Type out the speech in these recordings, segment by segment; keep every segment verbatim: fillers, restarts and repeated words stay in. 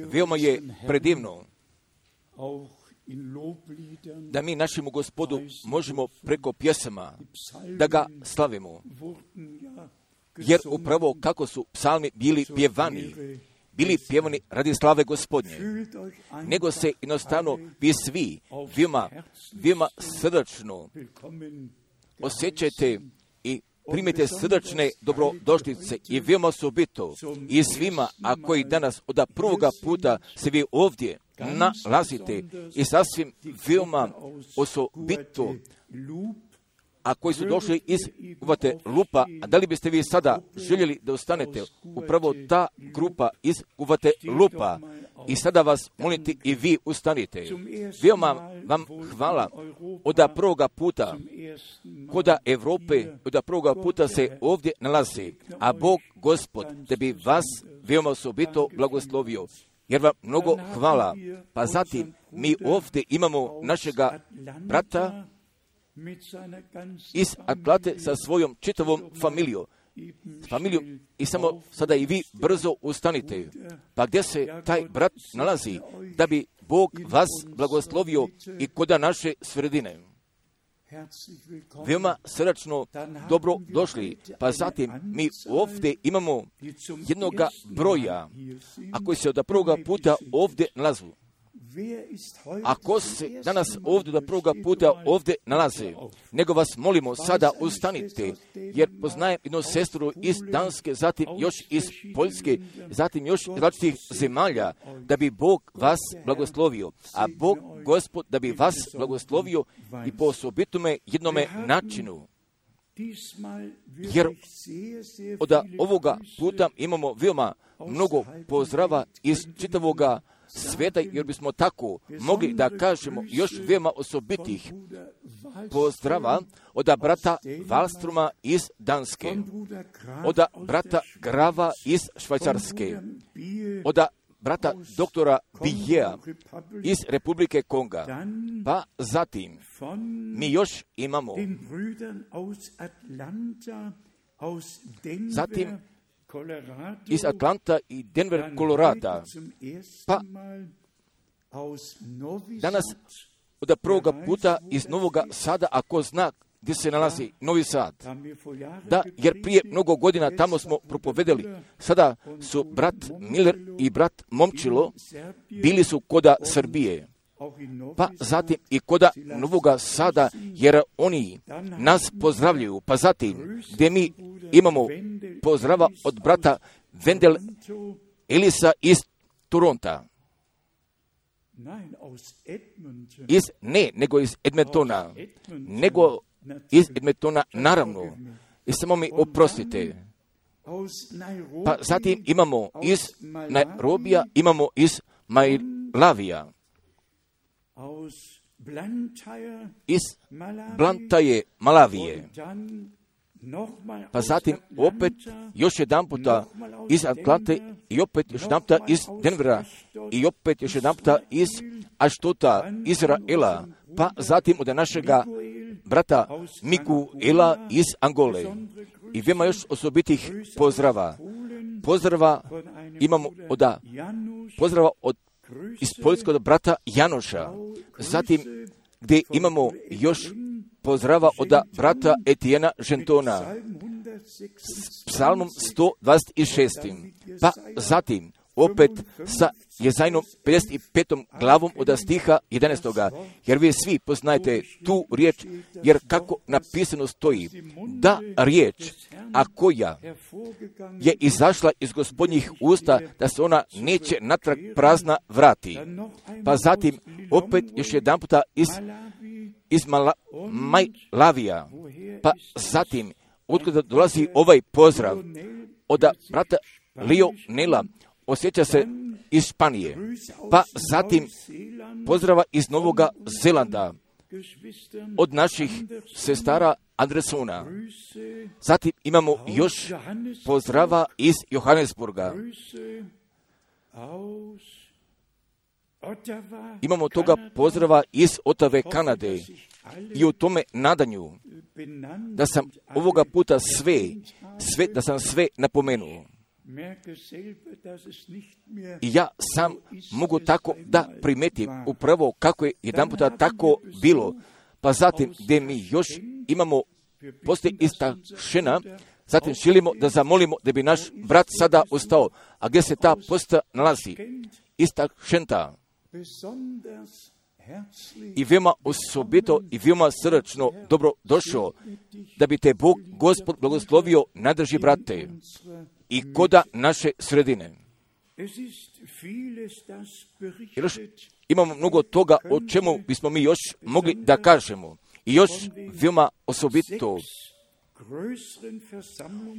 Veoma je predivno da mi našemu Gospodu možemo preko pjesama da ga slavimo. Jer upravo kako su psalmi bili pjevani, bili pjevani radi slave Gospodnje, nego se jednostavno vi svi veoma, veoma srdačno osjećajte i primite srdačne dobrodošlice i veoma osobito i svima, a koji danas od prvoga puta se vi ovdje nalazite i sasvim veoma osobito, a koji su došli iz Guatelupa, a da li biste vi sada željeli da ostanete upravo ta grupa iz Guatelupa i sada vas moliti i vi ustanite. Veoma vam hvala od prvoga puta koda Evrope, od prvoga puta se ovdje nalazi, a Bog Gospod da bi vas veoma osobito blagoslovio. Jer vam mnogo hvala. Pa zatim mi ovdje imamo našega brata iz Atlante sa svojom čitavom familijom. familijom i samo sada i vi brzo ustanite. Pa gdje se taj brat nalazi, da bi Bog vas blagoslovio i koda naše sredine. Veoma srdačno dobro došli. Pa zatim mi ovdje imamo jednoga broja, a koji se od prvoga puta ovdje nalazu. Ako se danas ovdje da prvoga puta ovdje nalaze, nego vas molimo sada ustanite, jer poznajem jednu sestru iz Danske, zatim još iz Poljske, zatim još iz različitih zemalja, da bi Bog vas blagoslovio, a Bog Gospod da bi vas blagoslovio i po osobitome jednome načinu. Jer od ovoga puta imamo veoma mnogo pozdrava iz čitavoga sveta, jer bismo tako mogli da kažemo još veoma osobitih pozdrava od brata Wallstroma iz Danske, od brata Grava iz Švajcarske, od brata doktora Bijea iz Republike Konga. Pa zatim mi još imamo zatim iz Atlanta i Denver, Kolorada. Pa danas od prvoga puta iz Novoga Sada, ako zna gdje se nalazi Novi Sad. Da, jer prije mnogo godina tamo smo propovedali. Sada su brat Miller i brat Momčilo bili su koda Srbije. Pa zatim i koda Novoga Sada, jer oni nas pozdravljaju. Pa zatim gdje mi imamo pozdrava od brata Wendel Elisa iz Toronta. Iz, ne, nego iz Edmontona. Nego iz Edmontona, naravno. I samo mi oprostite. Pa zatim imamo iz Nairobija, imamo iz Majlavija. Iz Blantyre, Malavije. Pa zatim opet još jedan puta iz Atlante i opet još jedan puta iz Denvera i opet još jedan puta iz Ashtota, Izraela. Pa zatim od našega brata Mikuela iz Angole. I veoma još osobitih pozdrava. Pozdrava imamo od, pozdrava od iz Poljskog brata Janoša. Zatim gdje imamo još pozdrava od brata Etijena Žentona s psalmom sto dvadeset šest. Pa zatim opet sa Jezajnom pedeset petom glavom od stiha jedanaestog. Jer vi svi poznajete tu riječ, jer kako napisano stoji, da riječ, a koja je izašla iz Gospodnjih usta, da se ona neće natrag prazna vrati. Pa zatim opet još jedan puta iz, iz Mala, Majlavija. Pa zatim otkuda dolazi ovaj pozdrav od brata Lionela, osjeća se iz Španije. Pa zatim pozdrava iz Novoga Zelanda od naših sestara Andresona. Zatim imamo još pozdrava iz Johannesburga. Imamo toga pozdrava iz Ottawe, Kanade. i u tome nadanju da sam ovoga puta sve, sve da sam sve napomenuo. I ja sam mogu tako da primetim upravo kako je jedan puta tako bilo. Pa zatim gdje mi još imamo postoji ista šena, zatim želimo da zamolimo da bi naš brat sada ustao. A gdje se ta posta nalazi? Ista šenta. I veoma osobito i veoma srdačno dobro došao, da bi te Bog, Gospod, blagoslovio, nadrži, brate, i koda naše sredine. Još imamo mnogo toga o čemu bismo mi još mogli da kažemo. I još veoma osobito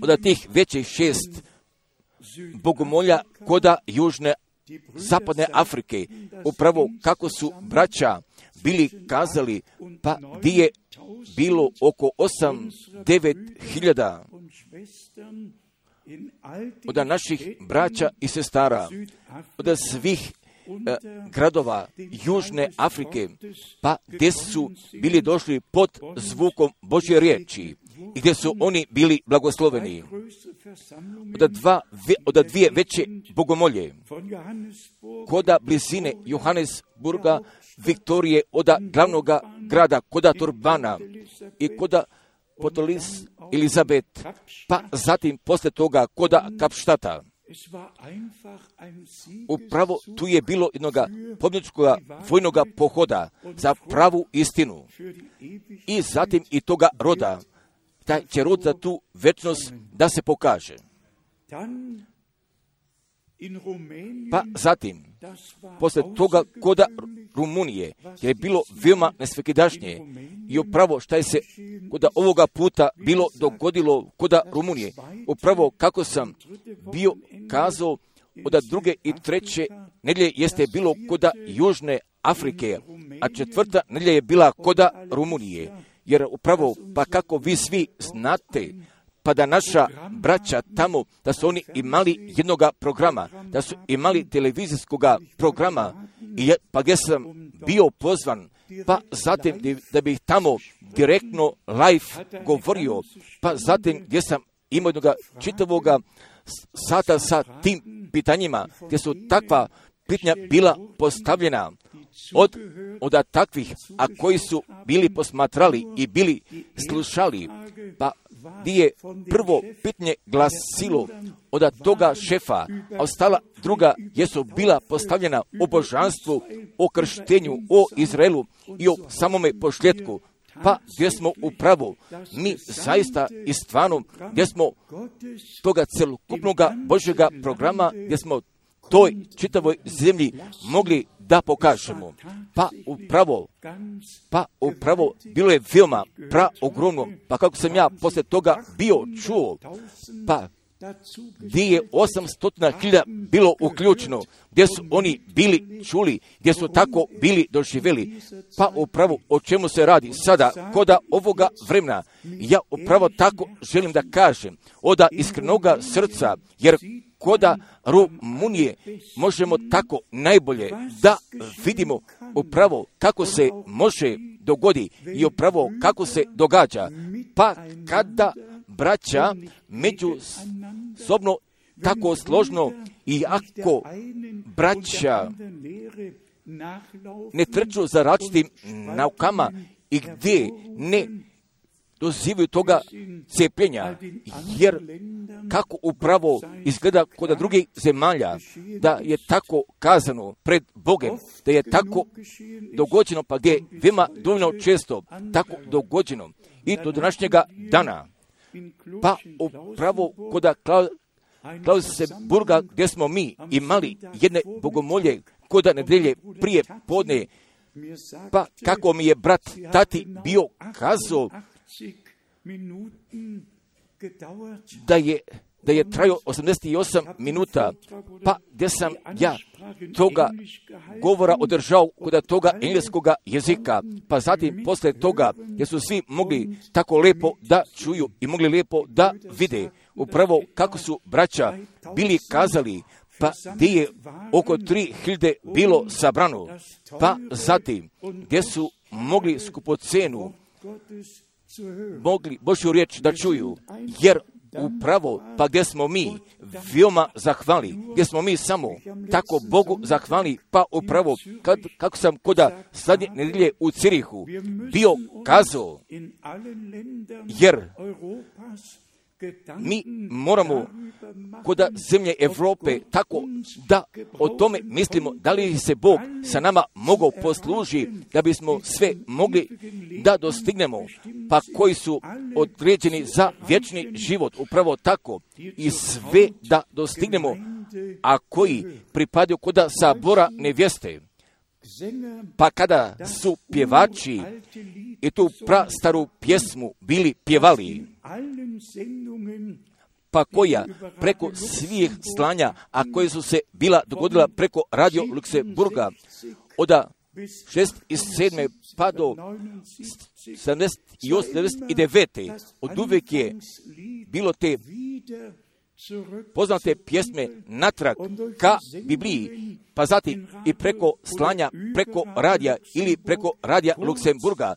od tih većih šest bogomolja koda južne zapadne Afrike, upravo kako su braća bili kazali, pa gdje je bilo oko osam, devet hiljada od naših braća i sestara, od svih eh, gradova Južne Afrike, pa gdje su bili došli pod zvukom Božje riječi i gdje su oni bili blagosloveni. Od, dva, od dvije veće bogomolje, koda blizine Johannesburga, Viktorije, od glavnog grada, koda Turbana i koda Potolis Elizabet, pa zatim posle toga koda Kapštata. Upravo tu je bilo jednog pobjedničkog vojnog pohoda za pravu istinu. I zatim i toga roda, taj će rod za tu večnost da se pokaže. Pa zatim, posle toga koda Rumunije, jer je bilo veoma nesvekidašnje i upravo šta je se koda ovoga puta bilo dogodilo koda Rumunije. Upravo kako sam bio kazao, od druge i treće nedjelje jeste bilo koda Južne Afrike, a četvrta nedjelja je bila koda Rumunije. Jer upravo, pa kako vi svi znate, pa da naša braća tamo, da su oni imali jednog programa, da su imali televizijskog programa, i ja, pa gdje sam bio pozvan, pa zatim da bih tamo direktno live govorio, pa zatim gdje sam imao jednog čitavog sata sa tim pitanjima, gdje su takva pitanja bila postavljena od, od takvih, a koji su bili posmatrali i bili slušali, pa gdje je prvo pitanje glasilo od toga šefa, a ostala druga jesu bila postavljena o božanstvu, o krštenju, o Izraelu i o samome pošljetku. Pa gdje smo upravo mi zaista i stvarno, gdje smo toga celokupnog Božjega programa, gdje smo toj čitavoj zemlji mogli da pokažemo. Pa upravo, pa upravo bilo je veoma praogromno, pa kako sam ja posle toga bio čuo, pa gdje je osamsto hiljada bilo uključeno, gdje su oni bili čuli, gdje su tako bili doživjeli. Pa upravo o čemu se radi sada, koda ovoga vremena, ja upravo tako želim da kažem, od iskrenoga srca, jer koda Rumunije možemo tako najbolje da vidimo upravo kako se može dogodi i upravo kako se događa. Pa kada braća međusobno tako složno i ako braća ne trču za različitim naukama i gdje ne dozivaju toga cijepljenja, jer kako upravo izgleda kod drugih zemalja, da je tako kazano pred Bogem, da je tako dogođeno, pa gdje je veoma dovoljno često tako dogođeno i do današnjega dana. Pa upravo kod Klausenburga, gdje smo mi imali jedne bogomolje kod nedelje prije podne, pa kako mi je brat tati bio kazao da je, da je trajao osamdeset osam minuta, pa gdje sam ja toga govora održao kod toga engleskog jezika, pa zatim posle toga gdje su svi mogli tako lepo da čuju i mogli lepo da vide upravo kako su braća bili kazali, pa gdje je oko tri hiljade bilo sabrano, pa zatim gdje su mogli skupocenu, mogli Božju riječ da čuju, jer upravo, pa gdje smo mi veoma zahvali, gdje smo mi samo tako Bogu zahvali, pa upravo, kad, kako sam koda sadnje nedelje u Cirihu bio kazao, jer mi moramo koda zemlje Evrope tako da o tome mislimo, da li se Bog sa nama mogao posluži da bismo sve mogli da dostignemo, pa koji su određeni za vječni život, upravo tako i sve da dostignemo, a koji pripadaju koda sabora nevjeste. Pa kada su pjevači i tu prastaru pjesmu bili pjevali, pa koja preko svih slanja, a koje su se bila dogodila preko Radio Luksemburga od šezdeset sedme pa do sedamdeset osme sedamdeset devete od uvijek je bilo te poznate pjesme natrag ka Bibliji, pa zatim i preko slanja, preko radija ili preko Radija Luksemburga,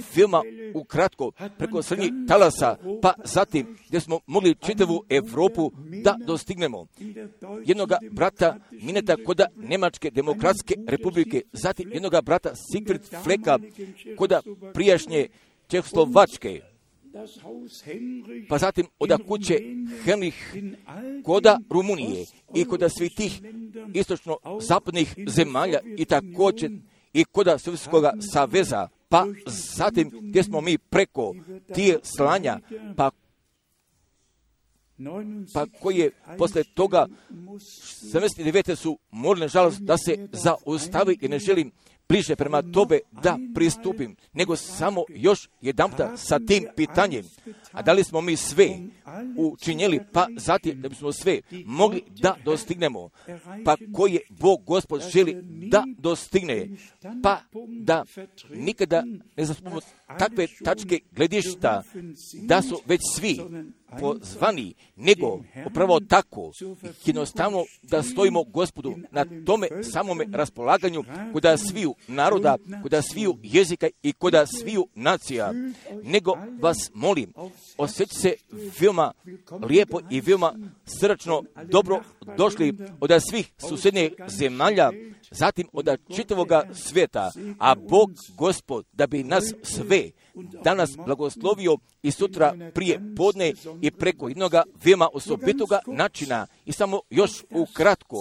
filma ukratko, preko srednjih talasa, pa zatim gdje smo mogli čitavu Evropu da dostignemo. Jednoga brata Mineta koda Njemačke demokratske republike, zatim jednoga brata Siegfried Fleka koda prijašnje Čehoslovačke, pa zatim od kuće Henrich koda Rumunije i koda svih tih istočno-zapadnih zemalja i također i koda Sovjetskog saveza, pa zatim gdje smo mi preko tih slanja, pa pa koje posle toga sedamdeset devete su morali, nažalost, da se zaustavi i ne želim bliže prema tobe da pristupim, nego samo još jedanputa sa tim pitanjem, a da li smo mi sve učinjeli, pa zatim da bismo sve mogli da dostignemo, pa koje Bog Gospod želi da dostigne, pa da nikada ne zaspomemo takve tačke gledišta, da su već svi pozvani, nego upravo tako, jednostavno da stojimo Gospodu na tome samome raspolaganju, koda sviju naroda, koda sviju jezika i koda sviju nacija, nego vas molim, osjećajte se veoma lijepo i veoma srdačno dobro došli od svih susjednih zemalja, zatim od čitavoga svijeta, a Bog Gospod da bi nas sve danas blagoslovio i sutra prije podne i preko jednoga veoma osobitoga načina i samo još ukratko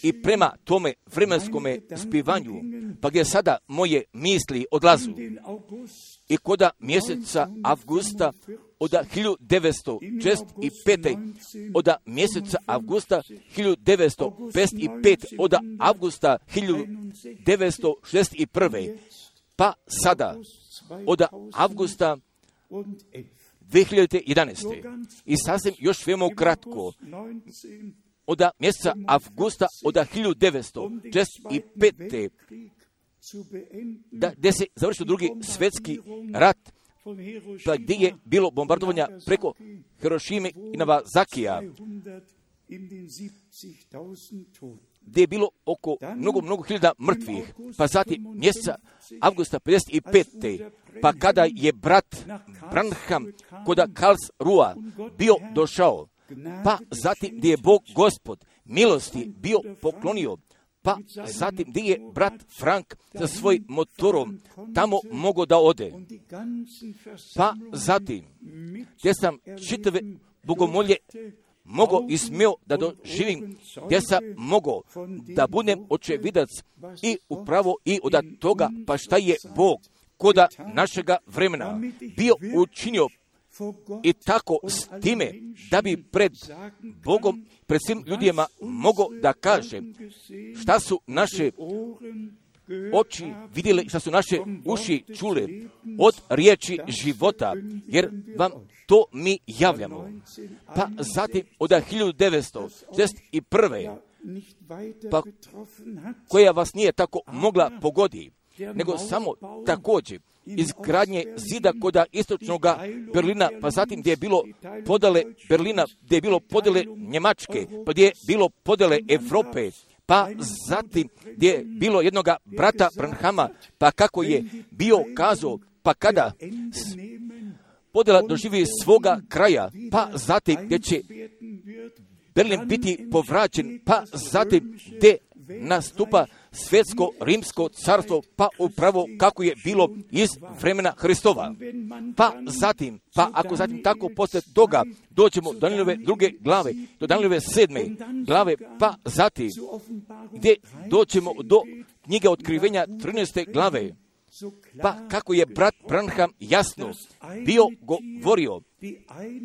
i prema tome vremenskome spivanju, pa gdje sada moje misli odlazu i koda mjeseca avgusta od hiljadu devetsto šezdeset pete od mjeseca avgusta hiljadu devetsto pedeset pete od avgusta hiljadu devetsto šezdeset prve pa sada od avgusta dvije hiljade jedanaeste i sasvim još veoma kratko od mjeseca avgusta od hiljadu devetsto šezdeset pete da gdje se završio drugi svjetski rat, pa gdje je bilo bombardovanja preko Hirošime i Nagasakija, gdje je bilo oko mnogo, mnogo hiljada mrtvih, pa zatim mjeseca avgusta pedeset pete pa kada je brat Branham koda Karlsruhe bio došao, pa zatim gdje je Bog Gospod milosti bio poklonio, pa zatim gdje je brat Frank sa svojim motorom tamo mogao da ode, pa zatim gdje sam čitave bogomolje mogao i smio da doživim, gdje sam mogao da budem očevidac i upravo i od toga, pa šta je Bog koda našega vremena bio učinio i tako s time da bi pred Bogom, pred svim ljudima mogao da kaže šta su naše oči vidjele, šta su naše uši čule od riječi života, jer vam to mi javljamo. Pa zatim od hiljadu devetsto šezdeset prve pa koja vas nije tako mogla pogoditi, nego samo također izgradnje zida koda istočnog Berlina, pa zatim gdje je bilo podele Berlina, gdje je bilo podele Njemačke, pa gdje je bilo podele Evrope, pa zatim gdje je bilo jednoga brata Branhama, pa kako je bio kazao, pa kada podjela doživi svoga kraja, pa zatim gdje će Berlin biti povraćen, pa zatim gdje nastupa svjetsko rimsko carstvo, pa upravo kako je bilo iz vremena Hristova. Pa zatim, pa ako zatim tako poslije toga dođemo do Danielove druge glave, do Danielove sedme glave, pa zatim gdje dođemo do knjige Otkrivenja trinaeste glave, pa kako je brat Branham jasno bio govorio,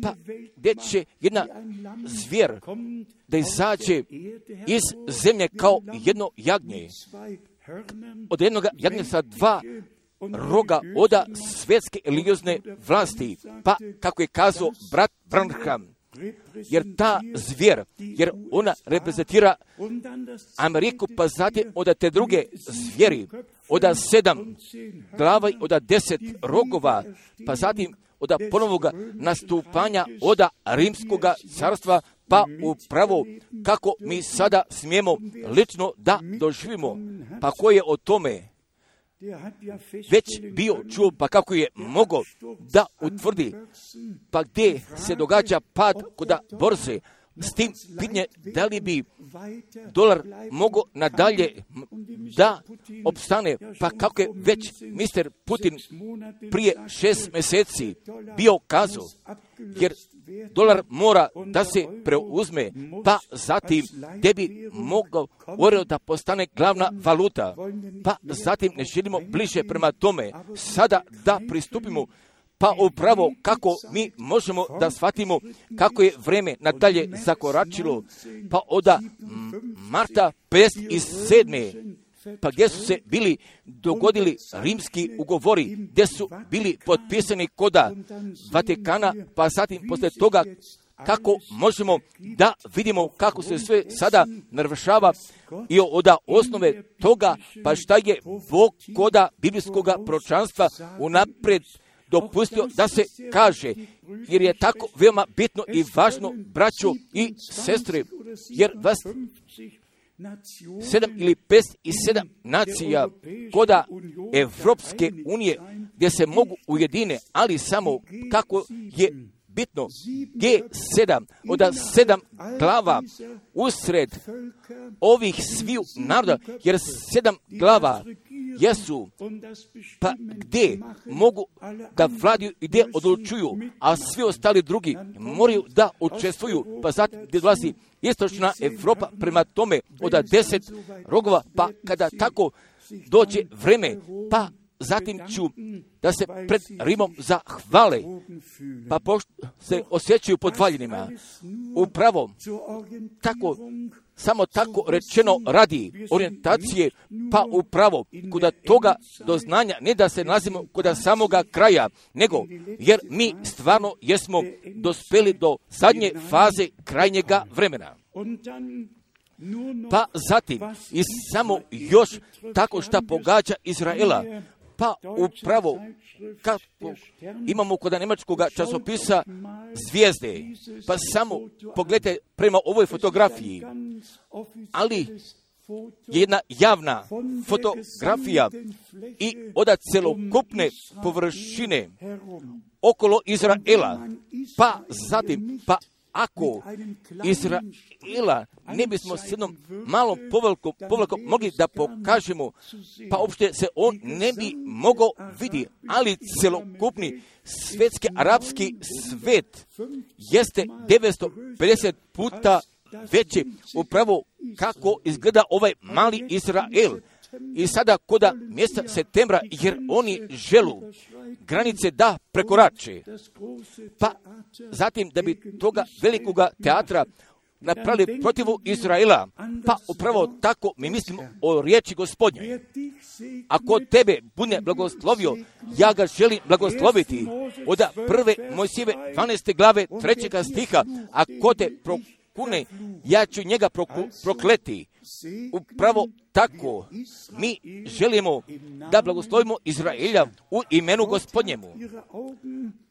pa gdje će jedna zvijer da izađe iz zemlje kao jedno jagnje, od jednog jagnja sa dva roga oda svjetske religiozne vlasti, pa kako je kazao brat Branham, jer ta zvijer, jer ona reprezentira Ameriku, pa zatim od te druge zvijeri, od sedam glava i od deset rogova, pa zatim od ponovnoga nastupanja od rimskoga carstva, pa upravo kako mi sada smijemo lično da doživimo, pa ko je o tome već bio čuo, pa kako je mogao da utvrdi, pa gdje se događa pad kod borze, s tim pitanje da li bi dolar mogao nadalje da opstane, pa kako je već mister Putin prije šest mjeseci bio kazao, jer dolar mora da se preuzme, pa zatim gdje bi mogao euro da postane glavna valuta, pa zatim ne želimo bliže prema tome sada da pristupimo, pa upravo kako mi možemo da shvatimo kako je vreme nadalje zakoračilo, pa od marta pedeset sedme pa gdje su se bili dogodili rimski ugovori, gdje su bili potpisani koda Vatikana, pa zatim poslije toga kako možemo da vidimo kako se sve sada navršava i od osnove toga, pa šta je Bog koda biblijskoga proročanstva unaprijed dopustio da se kaže, jer je tako veoma bitno i važno, braćo i sestre, jer vas sedam ili pet i sedam nacija koda Evropske unije gdje se mogu ujedine, ali samo kako je bitno G sedam od sedam glava usred ovih sviju naroda, jer sedam glava jesu, pa gdje mogu da vladaju i gdje odlučuju, a svi ostali drugi moraju da učestvuju, pa zatim gdje dolazi istočna Evropa prema tome od deset rogova, pa kada tako dođe vreme, pa zatim ću da se pred Rimom zahvale, pa pošto se osjećaju podvaljenima. Upravo tako, samo tako rečeno radi orijentacije, pa upravo kod toga doznanja, ne da se nalazimo kod samoga kraja, nego jer mi stvarno jesmo dospeli do zadnje faze krajnjega vremena. Pa zatim i samo još tako šta pogađa Izraela, pa upravo kako imamo kod njemačkog časopisa Zvijezde, pa samo pogledajte prema ovoj fotografiji, ali jedna javna fotografija i od celokupne površine okolo Izraela, pa zatim, pa ako Izraela ne bismo s jednom malom povlakom, povlakom mogli da pokažemo, pa uopšte se on ne bi mogao vidjeti, ali celokupni svetski arapski svet jeste devetsto pedeset puta veće, upravo kako izgleda ovaj mali Izrael. I sada koda mjesta septembra, jer oni želu granice da prekorače. Pa zatim da bi toga velikoga teatra napravili protivu Izraela, pa upravo tako mi mislimo o riječi Gospodnje. Ako tebe bude blagoslovio, ja ga želim blagosloviti. Od prve Mojsijeve dvanaeste glave trećega stiha, ako te prokune, ja ću njega proku, prokleti. upravo tako mi želimo da blagoslovimo Izraelja u imenu Gospodnjemu.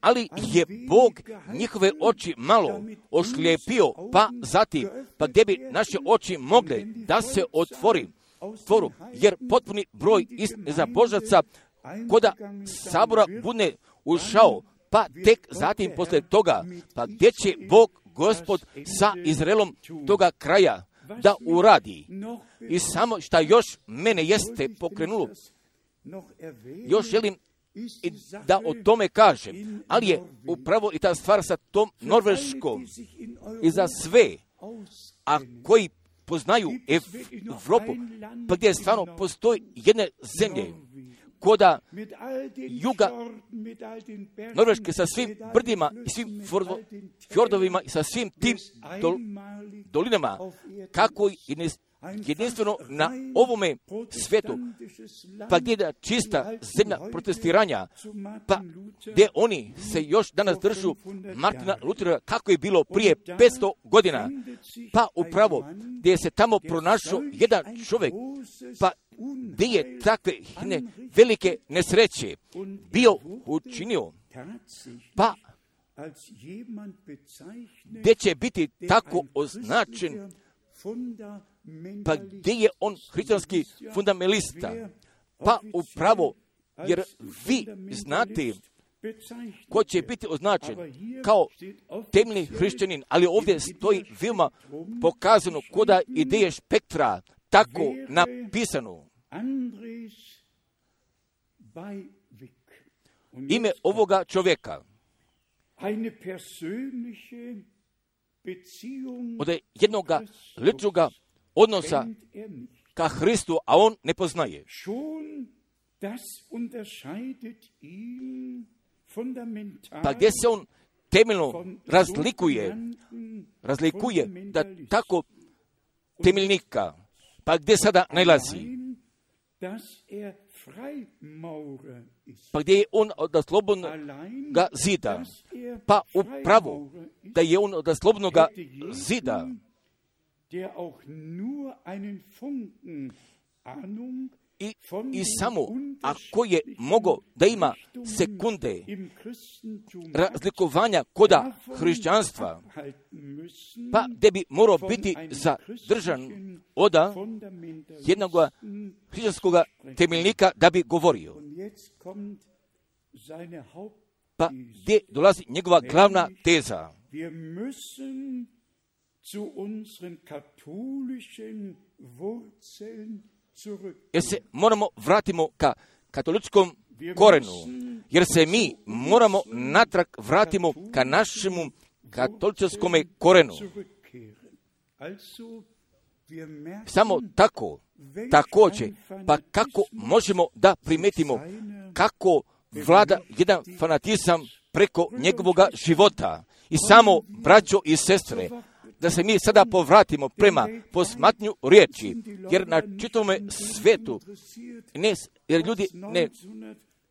Ali je Bog njihove oči malo ošlijepio, pa zatim, pa gdje bi naše oči mogle da se otvori, tvoru, jer potpuni broj za Božaca koda sabora bude ušao, pa tek zatim posle toga, pa gdje će Bog Gospod sa Izraelom toga kraja da uradi. I samo šta još mene jeste pokrenulo, još želim i da o tome kažem, ali je upravo i ta stvar sa tom Norveškom i za sve, a koji poznaju Evropu, pa gdje stvarno postoji jedne zemlje, koda juga Norveške sa svim brdima i svim fjordovima i sa svim tim dol, dolinama, kako je jedinstveno na ovome svijetu, pa gdje je čista zemlja protestiranja, pa gdje oni se još danas držu Martina Lutera kako je bilo prije petsto godina, pa upravo gdje se tamo pronašao jedan čovjek, pa gdje je takve ne, velike nesreće bio učinio, pa gdje će biti tako označen, pa gdje je on hrišćanski fundamentalista, pa upravo, jer vi znate ko će biti označen kao temeljni hrišćanin, ali ovdje stoji veoma pokazano koda ideje spektra, tako napisano. Ime ovoga čovjeka od jednoga ličnoga odnosa ka Hristu, a on ne poznaje. Pa gdje se on temeljno razlikuje, razlikuje da tako temeljnika, pa gdje sada najlazi? Pa gdje je on od slobodnog zida? Pa upravo da je on od slobodnog zida, I, i samo ako je mogo da ima sekunde razlikovanja koda hrišćanstva, pa gdje bi morao biti zadržan od jednog hrišćanskog temeljnika da bi govorio. Pa gdje dolazi njegova glavna teza? Jer se moramo vratimo ka katoličkom korenu, jer se mi moramo natrag vratimo ka našemu katoličkom korenu. Samo tako, također, pa kako možemo da primetimo kako vlada jedan fanatizam preko njegovog života. I samo, braćo i sestre, da se mi sada povratimo prema posmatnju riječi, jer na čitavome svetu, ne, jer ljudi ne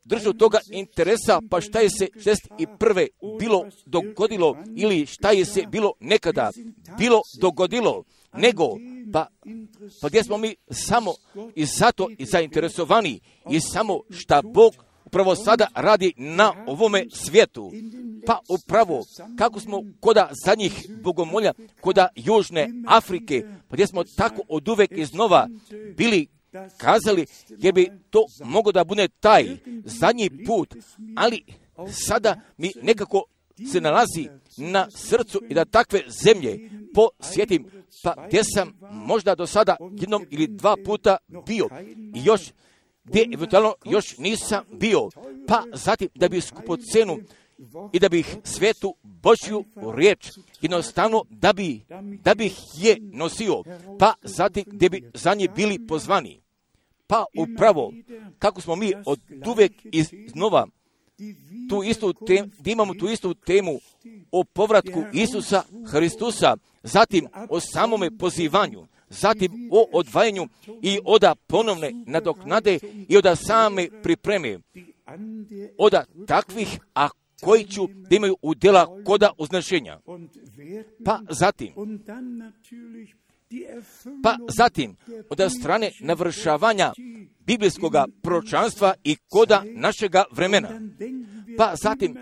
držu toga interesa, pa šta je se šezdeset prve bilo dogodilo, ili šta je se bilo nekada bilo dogodilo, nego, pa, pa gdje smo mi samo i zato i zainteresovani, i samo šta Bog upravo sada radi na ovome svijetu. Pa upravo, kako smo koda zadnjih bogomolja, koda Južne Afrike, pa gdje smo tako od uvek iznova bili kazali, jer bi to moglo da bude taj zadnji put, ali sada mi nekako se nalazi na srcu i da takve zemlje posjetim, pa gdje sam možda do sada jednom ili dva puta bio i još gdje eventualno još nisam bio, pa zatim da bi skupo cenu i da bih svetu Božju riječ jednostavno da bi, da bih je nosio, pa zatim gdje bi za nje bili pozvani. Pa upravo, kako smo mi od uvek iznova tu istu temu, gdje imamo tu istu temu o povratku Isusa Hristusa, zatim o samome pozivanju, zatim o odvajanju i oda ponovne nadoknade i oda same pripreme, oda takvih, a koji ću da imaju udjela koda uznašenja. Pa zatim, Pa zatim, od strane navršavanja biblijskog proročanstva i koda našega vremena. Pa zatim,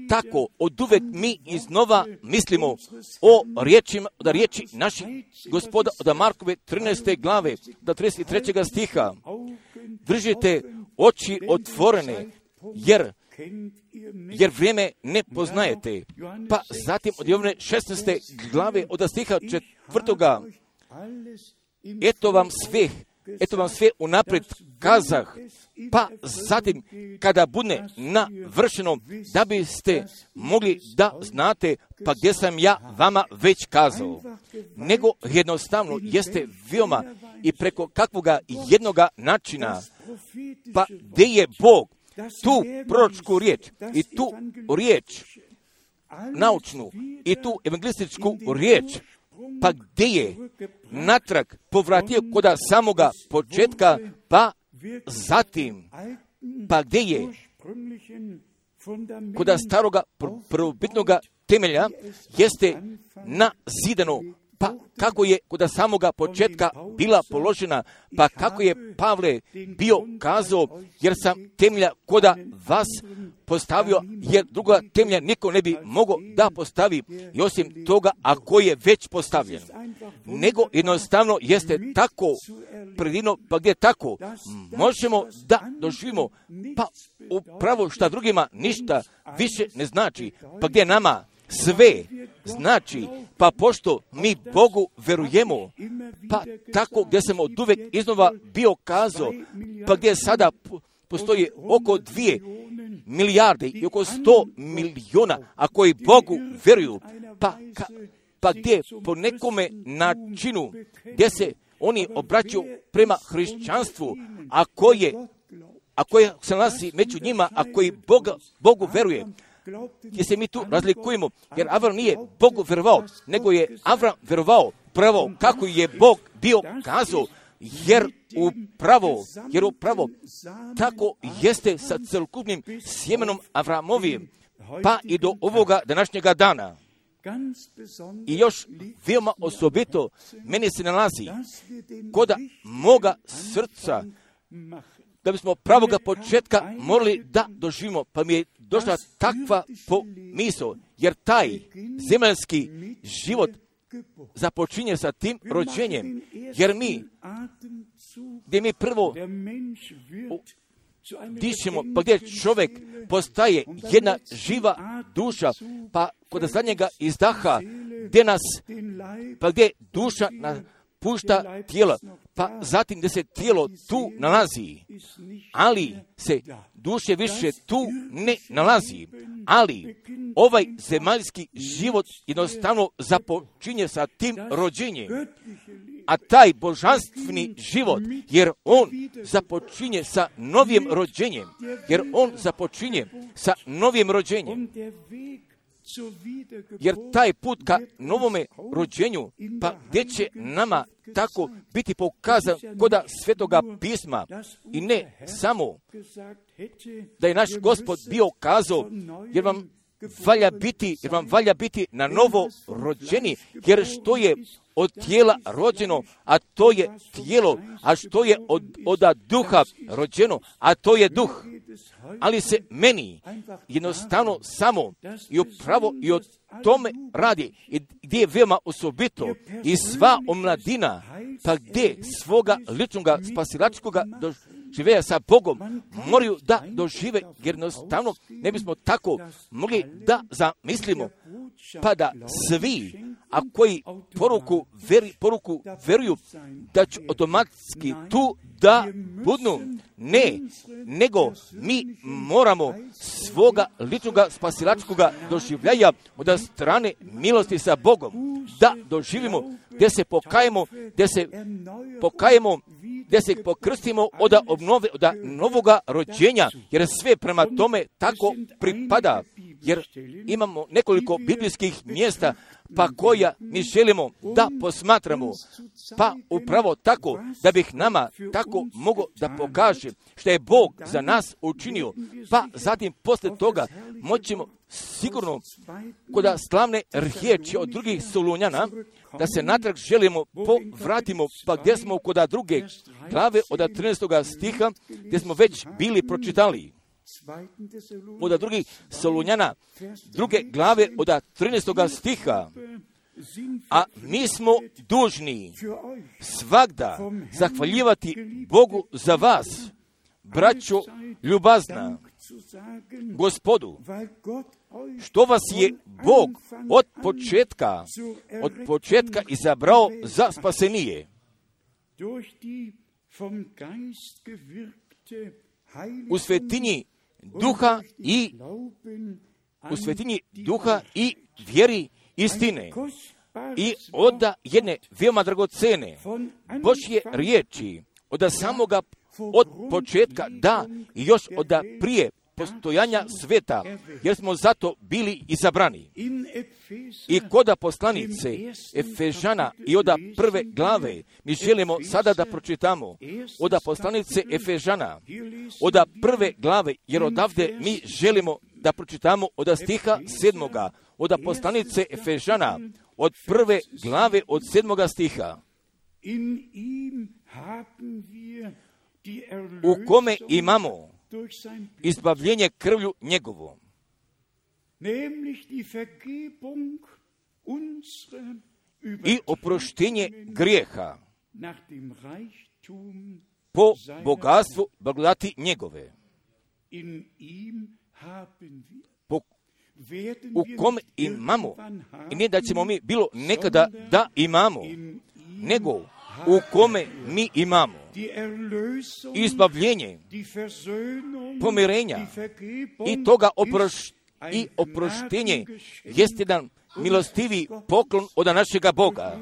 tako od uvek mi iznova mislimo o riječima, od riječi naših Gospoda od Markove trinaeste glave do trideset trećeg stiha. Držite oči otvorene, jer jer vrijeme ne poznajete. Pa zatim od Jovane šesnaeste glave od stiha četvrtoga. Eto vam sve, eto vam sve unaprijed kazah. Pa zatim kada bude navršeno, da biste mogli da znate, pa gdje sam ja vama već kazao. Nego jednostavno jeste veoma i preko kakvoga jednoga načina. Pa gdje je Bog tu proročku riječ i tu riječ naučnu i tu evangelističku riječ, pa gdje je natrag povratio koda samoga početka, pa zatim, pa gdje je koda staroga prvobitnoga temelja jeste nazidano, pa kako je koda samoga početka bila položena, pa kako je Pavle bio kazao, jer sam temelja koda vas postavio, jer druga temelja niko ne bi mogao da postavi, i osim toga, ako je već postavljen. Nego jednostavno jeste tako predivno, pa gdje tako možemo da doživimo, pa upravo šta drugima ništa više ne znači, pa gdje nama sve znači, pa pošto mi Bogu verujemo, pa tako gdje sam od uvek iznova bio kazao, pa gdje sada postoji oko dvije milijarde i oko sto miliona, a koji Bogu veruju, pa, ka, pa gdje po nekome načinu, gdje se oni obraćaju prema hrišćanstvu, a koje, a koje se nalazi među njima, a koji Boga, Bogu veruje, gdje se mi tu razlikujemo, jer Avram nije Bogu verovao, nego je Avram verovao pravo kako je Bog bio kazao, jer upravo, jer upravo tako jeste sa celokupnim sjemenom Avramovim, pa i do ovoga današnjega dana. I još veoma osobito meni se nalazi koda moga srca, da bismo pravoga početka morali da doživimo, pa mi je došla takva pomisao, jer taj zemaljski život započinje sa tim rođenjem, jer mi, gdje mi prvo dišemo, pa gdje čovjek postaje jedna živa duša, pa kod zadnjega izdaha, gdje nas, pa gdje duša napušta tijela, pa zatim gdje se tijelo tu nalazi, ali se duše više tu ne nalazi, ali ovaj zemaljski život jednostavno započinje sa tim rođenjem, a taj božanstveni život, jer on započinje sa novim rođenjem, jer on započinje sa novim rođenjem, jer taj put ka novome rođenju, pa gdje će nama tako biti pokazan koda Svetoga pisma, i ne samo da je naš Gospod bio kazao, jer vam valja biti, jer vam valja biti na novo rođeni, jer što je od tijela rođeno, a to je tijelo, a što je od, od duha rođeno, a to je duh. Ali se meni jednostavno samo i upravo i o tome radi, i gdje je veoma osobito i sva omladina, pa gdje svoga ličnog spasilačkog doživeja sa Bogom moraju da dožive, jer jednostavno ne bismo tako mogli da zamislimo, pa da svi, a koji poruku, veri, poruku veruju, da će automatski tu da budu. Ne, nego mi moramo svoga ličnog spasilačkog doživljaja od strane milosti sa Bogom da doživimo, gdje se pokajemo, gdje se pokajemo, gdje se pokrstimo od obnove, od novoga rođenja, jer sve prema tome tako pripada. jer imamo nekoliko biblijskih mjesta pa koja mi želimo da posmatramo, pa upravo tako da bih nama tako mogao da pokaže što je Bog za nas učinio, pa zatim posle toga moćemo sigurno kod slavne riječi od drugih Solunjana da se natrag želimo povratimo, pa gdje smo kod druge glave od trinaestog stiha gdje smo već bili pročitali. Od drugih Solunjana druge glave od trinaestog stiha. A mi smo dužni svagda zahvaljivati Bogu za vas, braćo ljubazna, Gospodu, što vas je Bog od početka, od početka izabrao za spasenije. U svetinji duha i u svetinji duha i vjeri istine i od jedne veoma dragocene Božje riječi od samoga od početka, da i još od prije postojanja sveta, jer smo zato bili izabrani. I kod poslanice Efežana i od prve glave mi želimo sada da pročitamo od poslanice Efežana od prve glave, jer odavde mi želimo da pročitamo od stiha sedmoga, od poslanice Efežana od prve glave od sedmoga stiha, u kome imamo izbavljenje krvlju njegovom, i oproštenje grijeha po bogatstvu blagodati njegove, po, u kome imamo, i ne da ćemo mi bilo nekada da imamo, nego u kome mi imamo izbavljenje, pomirenja i toga oproš, i oproštenje jest jedan milostivi poklon od našega Boga,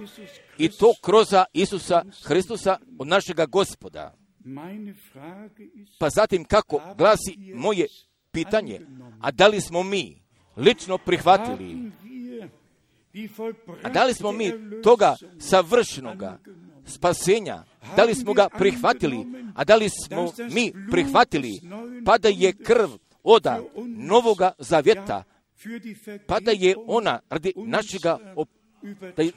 i to kroz Isusa Hristusa od našega Gospoda. Pa zatim kako glasi moje pitanje, a da li smo mi lično prihvatili, a da li smo mi toga savršenoga spasenja, da li smo ga prihvatili, a da li smo mi prihvatili, pa da je krv oda Novoga Zavjeta, pa da je ona radi našega,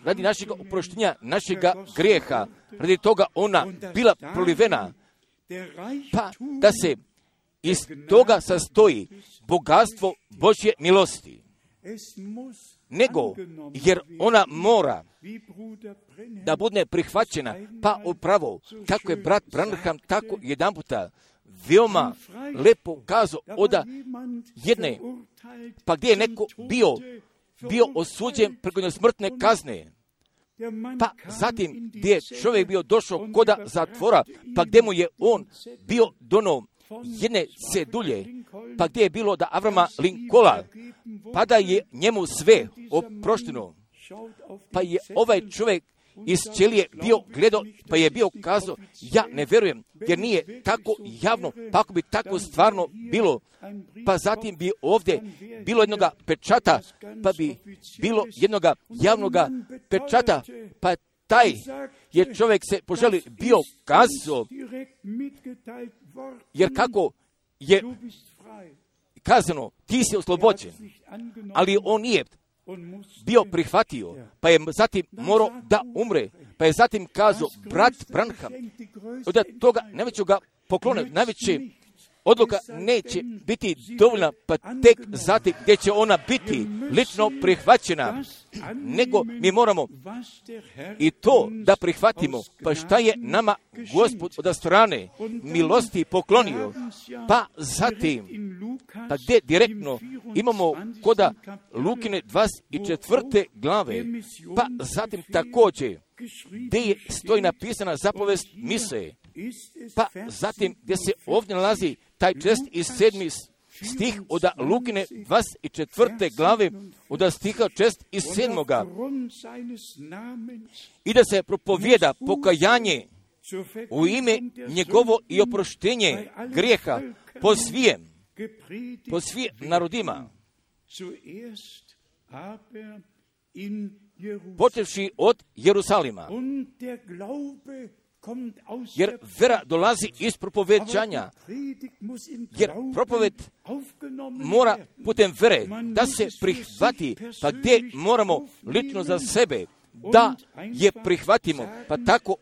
radi našega oproštenja, našega grijeha, radi toga ona bila prolivena, pa da se iz toga sastoji bogatstvo Božje milosti. Nego, jer ona mora da bude prihvaćena, pa upravo, kako je brat Branham tako jedan puta veoma lepo kazao od jedne, pa gdje je neko bio, bio osuđen preko smrtne kazne, pa zatim gdje je čovjek bio došao kod zatvora, pa gdje mu je on bio dono jedne cedulje, pa gdje je bilo da Avrama Linkola, pa da je njemu sve oprošteno, pa je ovaj čovjek iz ćelije bio gledao, pa je bio kazao, ja ne vjerujem, jer nije tako javno, pa ako bi tako stvarno bilo, pa zatim bi ovdje bilo jednoga pečata, pa bi bilo jednoga javnoga pečata, pa taj je čovjek se poželi bio kazao, jer kako je kazano, ti si oslobođen, ali on nije bio prihvatio, pa je zatim morao da umre, pa je zatim kazao, brat Branham, od toga najvećega poklona, najveće odluka neće biti dovoljna, pa tek zatim gdje će ona biti lično prihvaćena, nego mi moramo i to da prihvatimo, pa šta je nama Gospod od strane milosti poklonio, pa zatim, pa gdje direktno imamo koda Lukine dvadeset četvrte glave, pa zatim također gdje je stoji napisana zapovest mise, pa zatim gdje se ovdje nalazi taj čest iz sedmi stih od Lukine dvadeset četvrte glave, od stiha čest iz sedmoga, i da se propovijeda pokajanje u ime njegovo i oproštenje grijeha po svijem, po svim narodima. počevši od Jerusalima. Jer vera dolazi iz propoveđanja, jer propoved mora putem vere da se prihvati, pa gdje moramo lično za sebe da je prihvatimo, pa tako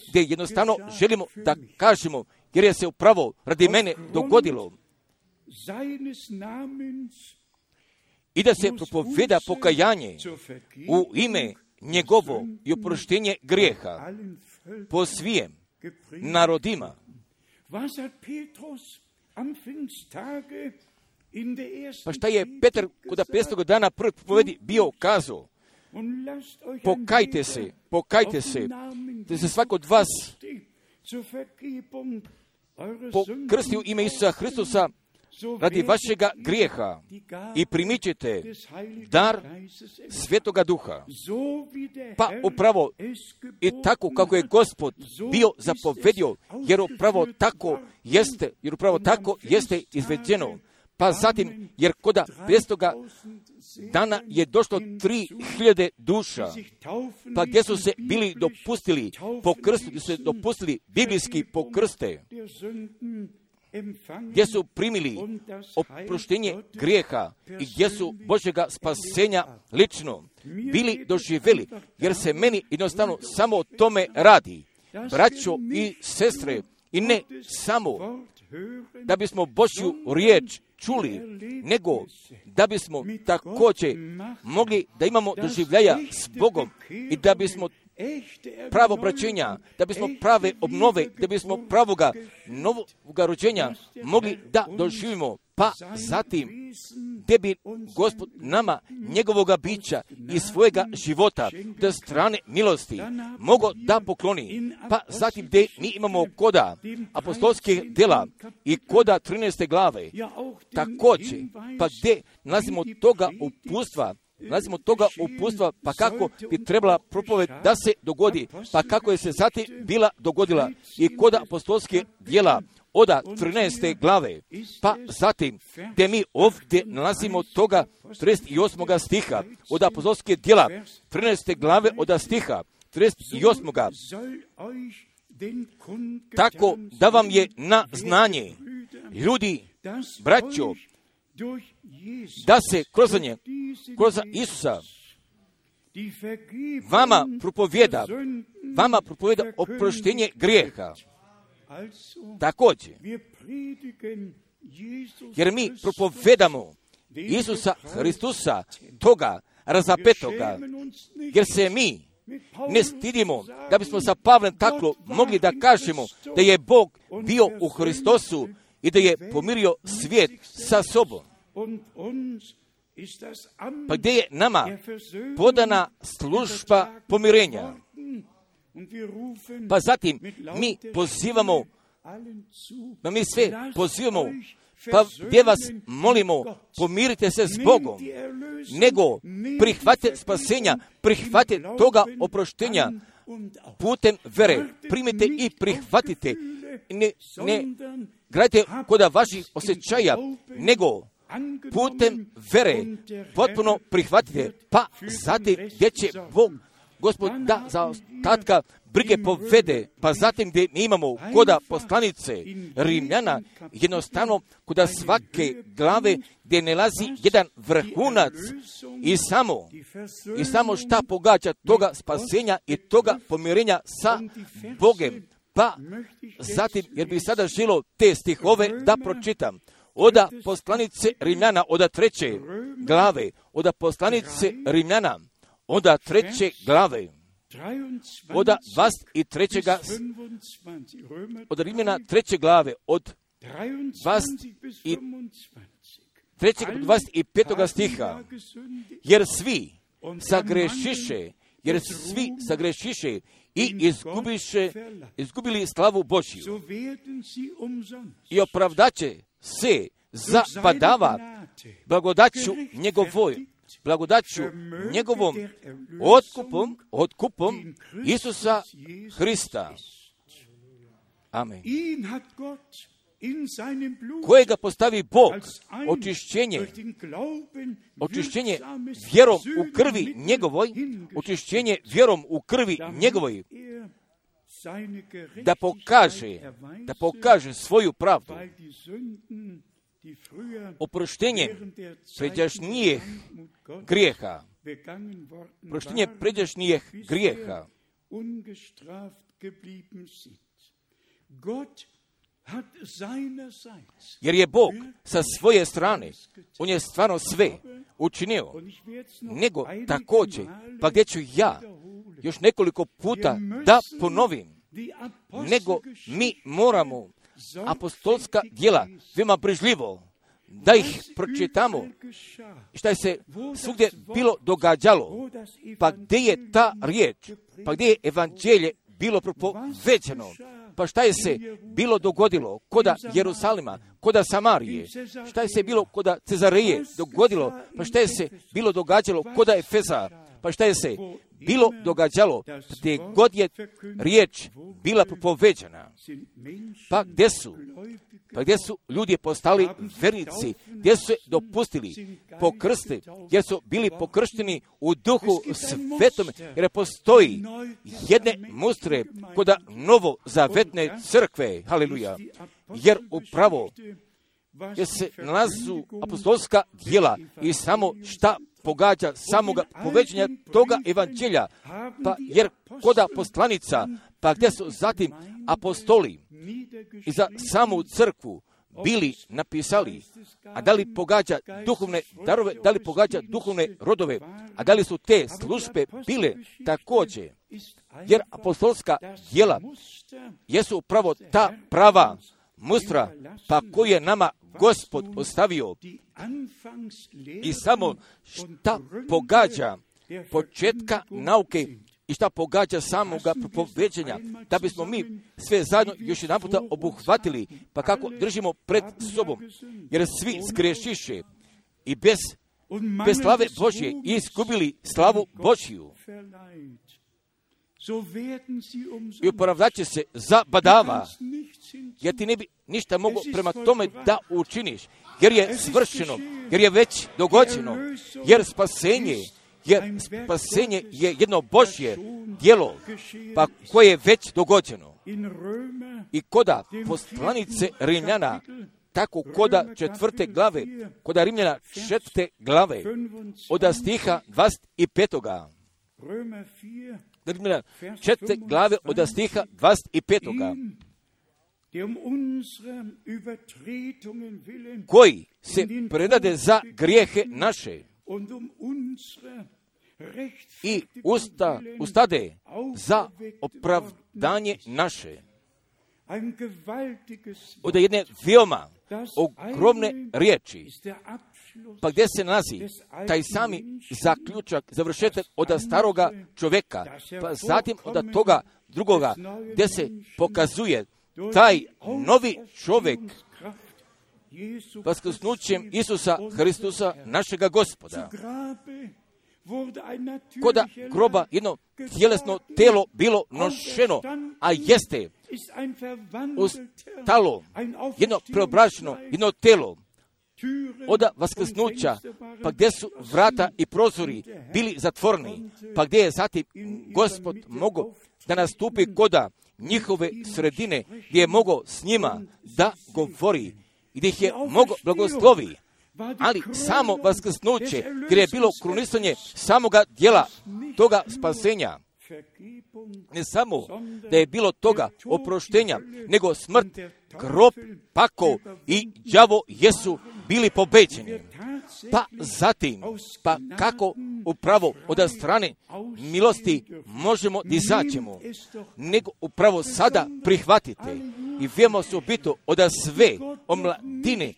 gdje jednostavno želimo da kažemo, jer je se upravo radi mene dogodilo. I da se propoveda pokajanje u ime njegovo i oproštenje grijeha po svijem narodima. Pa šta je Petar kod petog dana prvog propovedi bio kazao? Pokajte se, pokajte se, da se svako od vas pokrsti u ime Isusa Hristusa radi vašega grijeha i primit ćete dar Svetoga Duha. Pa upravo i tako kako je Gospod bio zapovedio, jer upravo tako jeste, jer upravo tako jeste izvedeno. Pa zatim, jer koda petstoga dana je došlo tri hiljade duša, pa gdje su se bili dopustili po krstu, gdje su se dopustili biblijski po krste, gdje su primili oproštenje grijeha i gdje su Božjega spasenja lično bili doživjeli, jer se meni jednostavno samo o tome radi, braćo i sestre, i ne samo da bismo Božju riječ čuli, nego da bismo također mogli da imamo doživljaja s Bogom i da bismo pravo obraćenja, da bismo prave obnove, da bismo pravoga novoga rođenja mogli da doživimo, pa zatim gdje bi Gospod nama njegovoga bića i svojega života da strane milosti mogo da pokloni, pa zatim gdje mi imamo koda apostolskih djela i koda trinaeste glave, također, pa gdje nalazimo toga upustva, nalazimo toga upustva, pa kako bi trebala propoved da se dogodi, pa kako je se zatim bila dogodila i kod apostolske djela oda trinaeste glave, pa zatim gdje mi ovdje nalazimo toga trideset osmog stiha od apostolske djela trinaeste glave od stiha trideset osmog tako da vam je na znanje, ljudi, braćo, da se kroz nje, kroz Isusa, vama propovjeda, vama propovjeda oproštenje grijeha. Također, jer mi propovedamo Isusa Hristusa, toga razapetoga, jer se mi ne stidimo da bismo sa Pavlem tako mogli da kažemo da je Bog bio u Hristosu i da je pomirio svijet sa sobom. Pa gdje je nama podana služba pomirenja? Pa zatim mi pozivamo, pa mi sve pozivamo, pa gdje vas molimo, pomirite se s Bogom, nego prihvate spasenja, prihvate toga oproštenja putem vere, primite i prihvatite, ne, ne gradite kod vaših osjećaja, nego putem vere potpuno prihvatite, pa zatim gdje će Bog, Gospod, da za ostatka brige povede, pa zatim gdje mi imamo koda poslanice Rimljana, jednostavno koda svake glave gdje nalazi jedan vrhunac i samo, i samo šta pogađa toga spasenja i toga pomirenja sa Bogem. Pa zatim, jer bi sada želo te stihove da pročitam, oda poslanice Rimljana, oda treće glave, oda poslanice Rimljana, oda treće glave, oda dvadeset i trećega, od Rimljana treće glave, od dvadeset i trećeg do dvadeset i petoga stiha, jer svi sagrešiše, jer svi sagrešiše i izgubiše, izgubili slavu Božju i opravdaće se za badava blagodaću njegovoj, blagodaću njegovom otkupom, otkupom Isusa Hrista. Amen. kojega postavi Bog, očišćenje, očišćenje vjerom u krvi njegovoj, očišćenje vjerom u krvi njegovoj, da pokaže, da pokaže svoju pravdu. Oproštenje pređašnjih grijeha, oproštenje pređašnjih grijeha. Jer je Bog sa svoje strane, on je stvarno sve učinio, nego također, pa gdje ću ja još nekoliko puta da ponovim, nego mi moramo apostolska djela veoma brižljivo da ih pročitamo, šta je se svugdje bilo događalo, pa gdje je ta riječ, pa gdje je evanđelje bilo propoveđeno, pa šta je se bilo dogodilo koda Jerusalima, koda Samarije, šta je se bilo koda Cezareje dogodilo, pa šta je se bilo događalo koda Efeza, pa šta je se bilo događalo gdje god je riječ bila propoveđena, pa gdje su, pa gdje su ljudi postali vernici, gdje su se dopustili pokrsti, gdje su bili pokršteni u duhu svetome, jer postoji jedne mustre koda novozavetne crkve, haleluja, jer upravo jer se nalazu apostolska djela i samo šta pogađa samoga povećanja toga evanđelja, pa jer koda poslanica, pa gdje su zatim apostoli i za samu crkvu bili napisali, a da li pogađa duhovne darove, da li pogađa duhovne rodove, a da li su te službe bile također, jer apostolska djela jesu upravo ta prava mustra, pa koju je nama Gospod ostavio i samo šta pogađa početka nauke i šta pogađa samoga propoveđenja, da bismo mi sve zajedno još jedan puta obuhvatili, pa kako držimo pred sobom, jer svi zgrešiše i bez, bez slave Božje izgubili slavu Božju. I opravdat će se za badava, jer ti ne bi ništa mogo prema tome da učiniš, jer je svršeno, jer je već dogođeno, jer spasenje, jer spasenje je jedno Božje djelo, pa koje je već dogođeno. I koda poslanice Rimljana, tako koda četvrte glave, koda Rimljana četvrte glave, od stiha dvadeset petoga. Rimljana četvrte glave od stiha dvadeset petoga. Koji se predade za grijehe naše i usta, ustade za opravdanje naše. Od jedne veoma ogromne riječi, pa gdje se nalazi taj sami zaključak, završetak od staroga čovjeka, pa zatim od toga drugoga, gdje se pokazuje taj novi čovjek vaskrsnućem Isusa Hristusa, našega Gospoda. Koda groba jedno tjelesno telo bilo nošeno, a jeste ustalo jedno preobraženo, jedno telo od vaskrsnuća, pa gdje su vrata i prozori bili zatvoreni, pa gdje je zatim Gospod mogao da nastupi koda njihove sredine, gdje je mogao s njima da govori, gdje ih je mogao blagoslovi. Ali samo vaskrsnuće, gdje je bilo krunisanje samoga djela toga spasenja, ne samo da je bilo toga oproštenja, nego smrt, grob, pakao i đavo jesu bili pobeđeni. Pa zatim, pa kako upravo od strane milosti možemo da izađemo, nego upravo sada prihvatite i vijemo se ubito od sve omladine,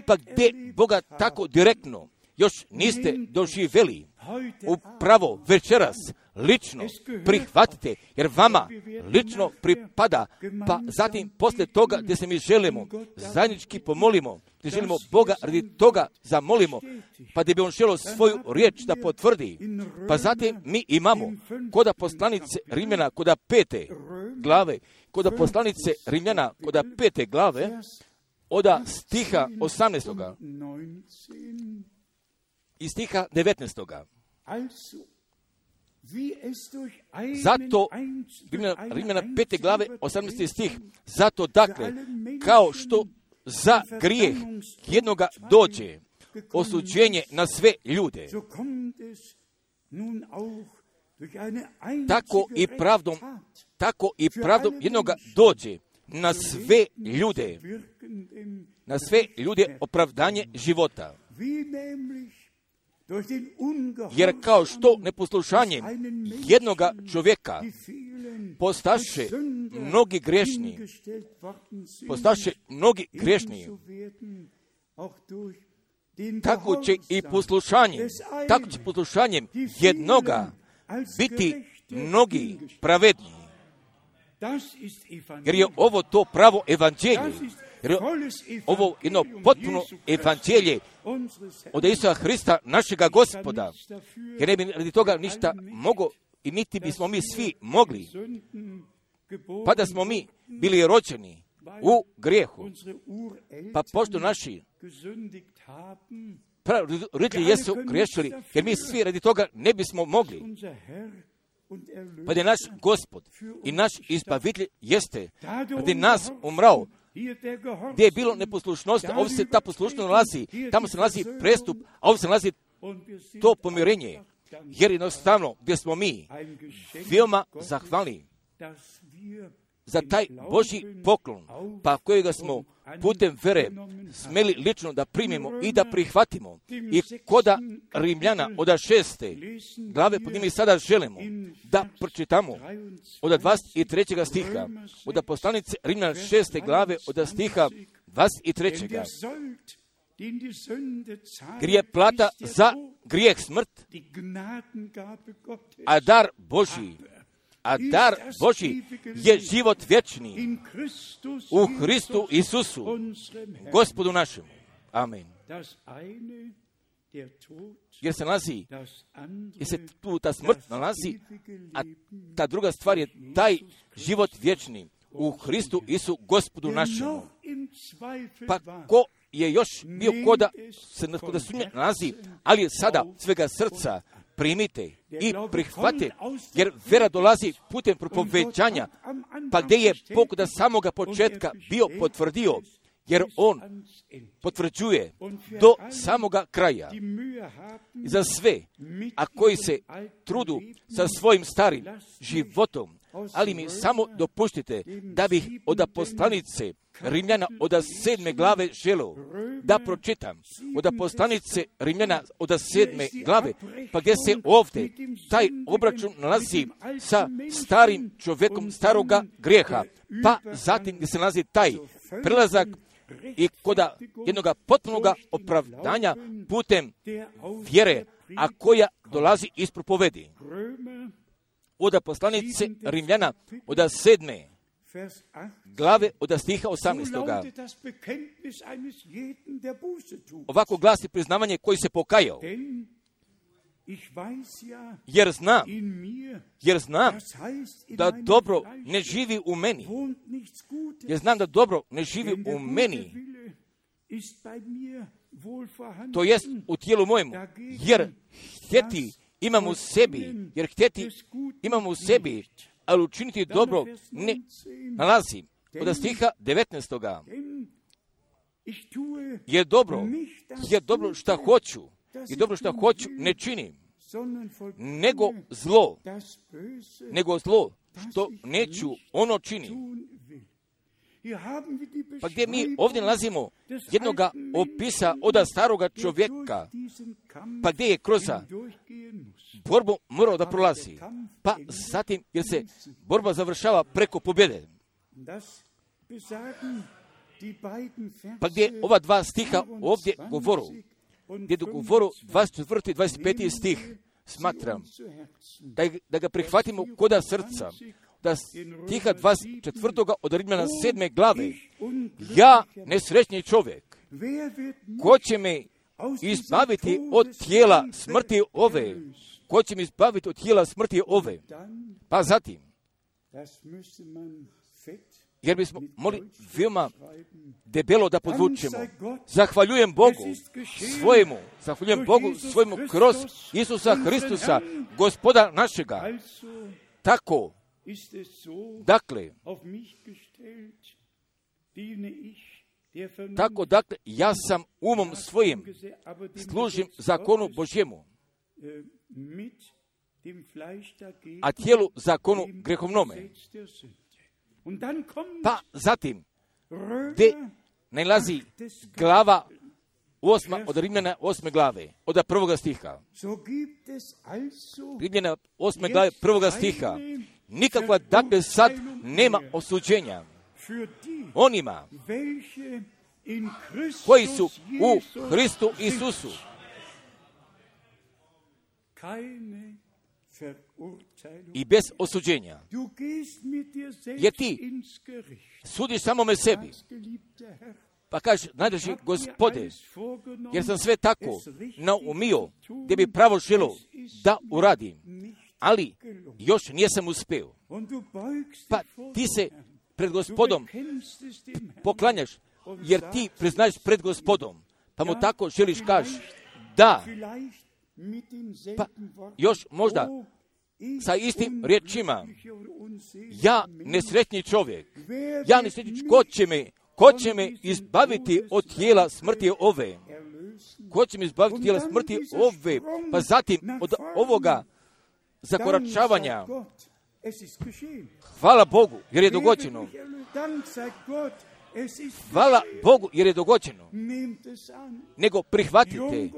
pa gdje Boga tako direktno još niste doživjeli, upravo večeras lično prihvatite, jer vama lično pripada, pa zatim poslije toga gdje se mi želimo zajednički pomolimo, gdje želimo Boga radi toga zamolimo, pa da bi on želio svoju riječ da potvrdi, pa zatim mi imamo koda poslanice Rimljana, koda pete glave, koda poslanice Rimljana, koda pete glave, od stiha osamnaestoga i stiha devetnaestoga. Zato, Rimljana pete glave, osamnaesti stih, zato dakle, kao što za grijeh jednoga dođe osuđenje na sve ljude, tako i pravdom, tako i pravdom jednoga dođe na sve ljude, na sve ljude opravdanje života. Jer kao što neposlušanjem jednoga čovjeka postaše mnogi grešni, postaše mnogi grešni, tako će i poslušanjem, tako će poslušanjem jednoga biti mnogi pravedni. Jer je ovo to pravo evanđelje. Jer je ovo jedno potpuno evanđelje od Isusa Hrista, našega Gospoda. Jer ne bi radi toga ništa mogo i niti bismo mi svi mogli. Pa da smo mi bili rođeni u grijehu. Pa pošto naši roditelji jesu griješili, jer mi svi radi toga ne bismo mogli. Pa da je naš Gospod i naš izbavitelj jeste radi nas umrao. Gdje je bilo neposlušnost, a ovdje se ta poslušnost nalazi, tamo se nalazi prestup, a ovdje se nalazi to pomirenje. Jer jednostavno gdje smo mi veoma zahvalni za taj Božji poklon, pa kojega smo putem vere smeli lično da primimo i da prihvatimo. I koda Rimljana od šeste glave, pod njimi sada želimo da pročitamo od dvadeset trećeg stiha, od poslanice Rimljana šeste glave od stiha dvadeset trećeg. Jer je plata za grijeh smrt, a dar Božji, a dar Božji je život vječni u Hristu Isusu, Gospodu našemu. Amen. Jer se nalazi, jer se tu ta smrt nalazi, a ta druga stvar je taj život vječni u Hristu Isu, Gospodu našemu. Pa ko je još bio koda se koda sumnje nalazi, ali sada svega srca primite i prihvate, jer vera dolazi putem propoveđanja, pa gdje je Bog da samoga početka bio potvrdio, jer on potvrđuje do samoga kraja. I za sve, a koji se trudu sa svojim starim životom, ali mi samo dopuštite da bih od poslanice Rimljana od sedme glave želeo da pročitam. Od poslanice Rimljana od sedme glave, pa gdje se ovdje taj obračun nalazi sa starim čovjekom staroga grijeha, pa zatim gdje se nalazi taj prelazak i koda jednoga potpunoga opravdanja putem vjere, a koja dolazi iz propovedi. Od poslanice Rimljana od sedme glave od stiha osamnaestoga. Ovako glasi priznavanje koji se pokajao. Jer znam, jer znam da dobro ne živi u meni. Jer znam da dobro ne živi u meni. To jest u tijelu mojemu. Jer htjeti imam u sebi, jer htjeti imam u sebi, ali učiniti dobro ne nalazi. Od stiha devetnaestoga. Je dobro, je dobro šta hoću, je dobro šta hoću ne činim, nego zlo, nego zlo što neću ono činim. Pa gdje mi ovdje nalazimo jednoga opisa od staroga čovjeka, pa gdje je kroz borbu morao da prolazi, pa zatim jer se borba završava preko pobjede. Pa gdje ova dva stiha ovdje govoru, gdje govoru dvadeset četvrti i dvadeset peti stih, smatram da, da ga prihvatimo koda srca, da stiha dvadeset četvrtoga od Rimljana sedme glave. Ja, nesrećni čovjek, ko će me izbaviti od tijela smrti ove? Ko će me izbaviti od tijela smrti ove? Pa zatim, jer bismo mogli veoma debelo da podvučemo. Zahvaljujem Bogu svojemu, zahvaljujem Bogu svojemu kroz Isusa Hristusa, Gospoda našega. Tako, dakle, tako, dakle, ja sam umom svojim služim zakonu Božjemu, a tijelu zakonu grehovnome. Pa zatim, gdje nalazi glava osma od Rimljana osme glave, od prvoga stiha. Rimljana osme glave prvoga stiha. Nikakva, dakle, sad nema osuđenja onima koji su u Hristu Isusu. I bez osuđenja. Jer ti sudiš samome sebi. Pa kaže, najdraži Gospode, jer sam sve tako naumio gdje bi pravo želo da uradim, ali još nijesam uspeo. Pa ti se pred Gospodom poklanjaš, jer ti priznaješ pred Gospodom, pa mu tako želiš kaži, da, pa još možda sa istim riječima, ja nesretni čovjek, ja nesretni čovjek, ko će me, ko će me izbaviti od tijela smrti ove? Ko će me izbaviti od tijela smrti ove? Pa zatim od ovoga zakoračavanja, hvala Bogu, jer je dogođeno. Hvala Bogu, jer je dogođeno. Nego prihvatite,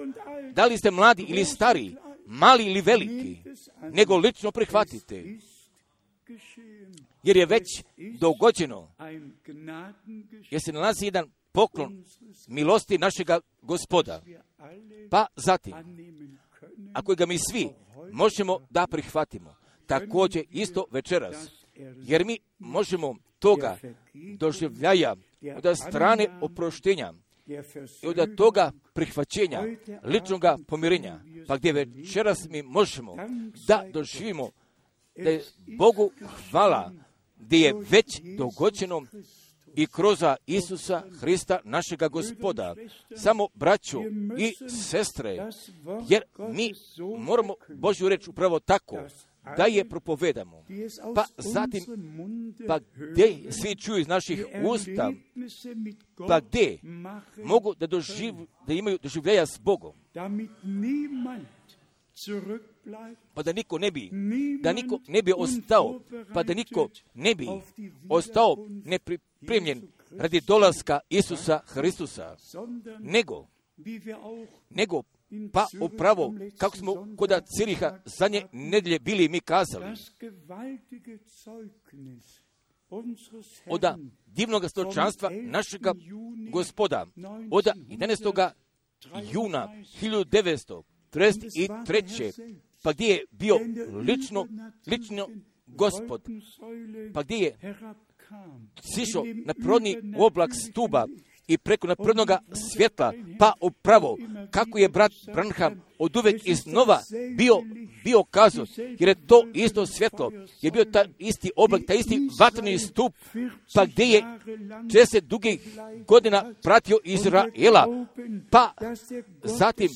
da li ste mladi ili stari, mali ili veliki, nego lično prihvatite, jer je već dogođeno, jer se nalazi jedan poklon milosti našega Gospoda. Pa zatim, ako ga mi svi možemo da prihvatimo, također isto večeras, jer mi možemo toga doživljaja od strane oproštenja i od toga prihvaćenja ličnog pomirenja, pa gdje večeras mi možemo da doživimo da je Bogu hvala, gdje je već dogođeno i kroz Isusa Hrista našega Gospoda. Samo braćo i sestre, jer mi moramo Božju reč upravo tako da je propovedamo. Pa zatim, pa gdje svi čuju iz naših usta, pa gdje mogu da, doživ, da imaju doživljaja s Bogom. Pa da niko ne bi, da niko ne bi ostao, pa da niko ne bi ostao nepripremljen radi dolaska Isusa Hristusa, nego, nego pa upravo, kako smo kod Ciriha zadnje nedjelje bili mi kazali, od divnog stočanstva našega Gospoda, od jedanaestog juna hiljadu devetsto trideset treće. pa gdje je bio lično, lično Gospod, pa gdje je sišao na prodni oblak stuba i preko naprednoga svjetla, pa upravo kako je brat Branham od uvek iznova bio, bio kazao, jer je to isto svjetlo, je bio taj isti oblak, taj isti vatreni stup, pa gdje je četrdeset dugih godina pratio Izraela, pa zatim,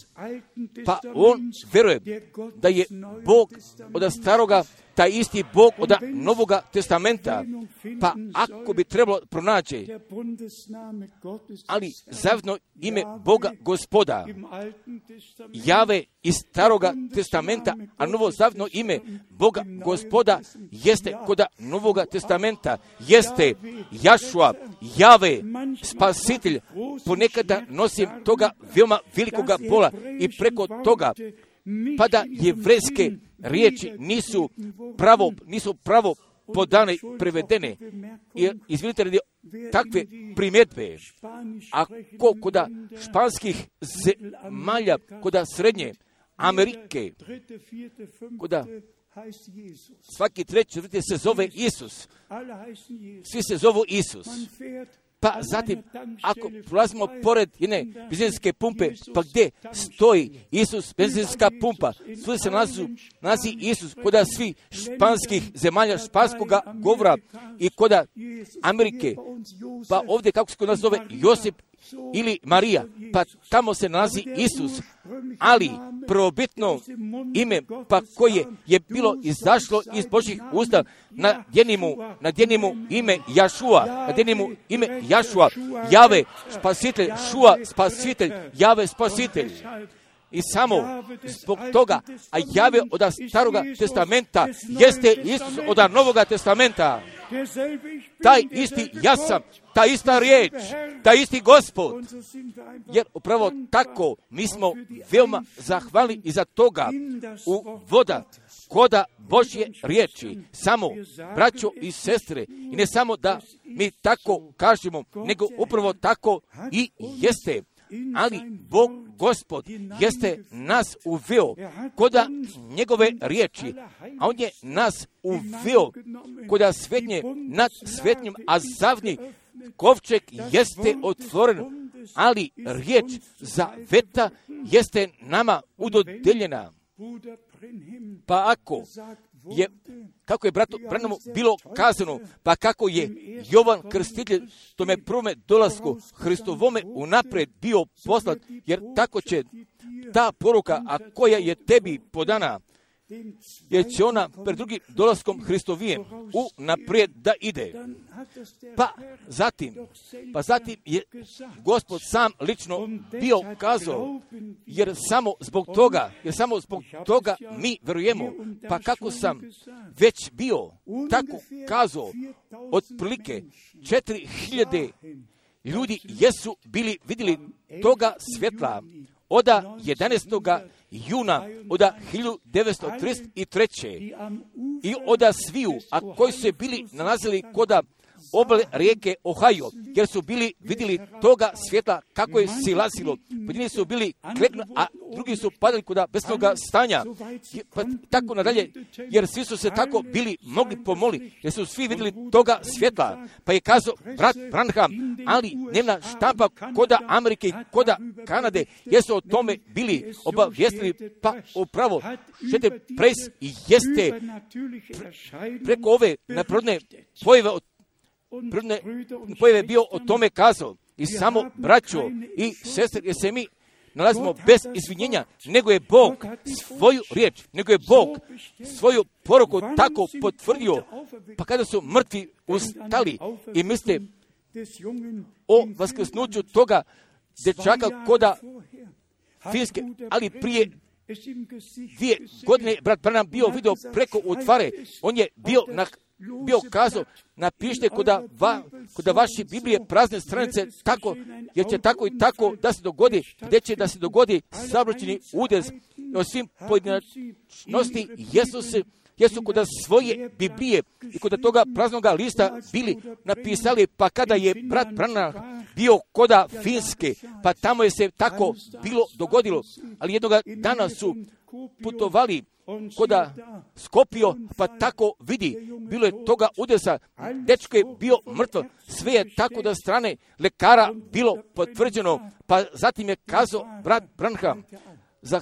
pa on veruje da je Bog od staroga, taj isti Bog od Novoga testamenta, pa ako bi trebalo pronaći, ali zajedno ime Boga Gospoda, Jave iz staroga testamenta, a novo zajedno ime Boga Gospoda jeste kod Novoga testamenta, jeste Jašua, Jave, spasitelj. Ponekada nosim toga veoma velikoga bola i preko toga, pa da jevrejske riječi nisu pravo, nisu pravo podane, prevedene. I izvinite radi takve primjedbe. Ako kod španskih zemalja, kod srednje Amerike, kod svaki treći, četvrti se zove Isus. Svi se zovu Isus. Pa zatim, ako prolazimo pored jedne benzinske pumpe, pa gdje stoji Isus, benzinska pumpa, svuda se nalazi, nalazi Isus, koda svi španskih zemalja, španskoga govora i koda Amerike, pa ovdje kako se kod nas zove Josip ili Marija, pa tamo se nalazi Isus, ali prvobitno ime pa koje je bilo izašlo iz Božjih usta, nadjenimu, nadjenimu ime Jašua, nadjenimu ime Jašua, Jave spasitelj, Šua spasitelj, Jave spasitelj. I samo zbog toga, a Jave od staroga testamenta jeste Isus od novoga testamenta. Taj isti ja sam, ta ista riječ, taj isti Gospod. Jer upravo tako mi smo veoma zahvalni iza toga u voda koda Božje riječi. Samo, braćo i sestre, i ne samo da mi tako kažemo, nego upravo tako i jeste. Ali Bog, Gospod, jeste nas uveo koda njegove riječi, a on je nas uveo koda svetnje nad svetnjim, a zavnji kovčeg jeste otvoren, ali riječ zaveta jeste nama udodeljena. Pa ako je, kako je bratu Branhamu bilo kazano, pa kako je Jovan Krstitelj tome prvome dolasku Hristovome unaprijed bio poslat, jer tako će ta poruka, a koja je tebi podana, jer će ona pred drugim dolaskom Hristovijem unaprijed da ide. Pa zatim, pa zatim je Gospod sam lično bio kazao, jer samo zbog toga, jer samo zbog toga mi verujemo. Pa kako sam već bio tako kazao, otprilike četiri hiljade ljudi jesu bili vidjeli toga svjetla oda jedanaestog juna oda hiljadu devetsto trideset treće. i oda sviju, a koji su se bili nalazili koda obale rijeke Ohio, jer su bili vidjeli toga svjetla kako je silazilo. Pojedini su bili kleknu, a drugi su padali koda besnoga stanja. Pa tako nadalje, jer svi su se tako bili mogli pomoli, jer su svi vidjeli toga svjetla. Pa je kazao brat Branham, ali dnevna štampa koda Amerike i koda Kanade, jer su o tome bili obavijestili, pa upravo Šete Pres i jeste preko ove neprirodne pojave od Prvne pojave bio o tome kazao. I samo braćo i sestre, jer se mi nalazimo bez izvinjenja, nego je Bog svoju riječ, nego je Bog svoju poruku tako potvrdio. Pa kada su mrtvi ustali i misle o vaskrsnuću toga dječaka koda Finske, ali prije dvije godine brat Branham bio vidio preko utvare, on je bio na bio kazao, napišite koda, va, koda vaše Biblije prazne stranice tako, jer će tako i tako da se dogodi, gdje će da se dogodi saobraćajni udez o svim pojedinačnosti jesu se jesu koda svoje Biblije i koda toga praznoga lista bili napisali, pa kada je brat Branham bio koda Finske, pa tamo je se tako bilo dogodilo, ali jednoga dana su putovali koda Skopio, pa tako vidi, bilo je toga udesa, dečko je bio mrtvo, sve je tako da strane lekara bilo potvrđeno, pa zatim je kazao brat Branham,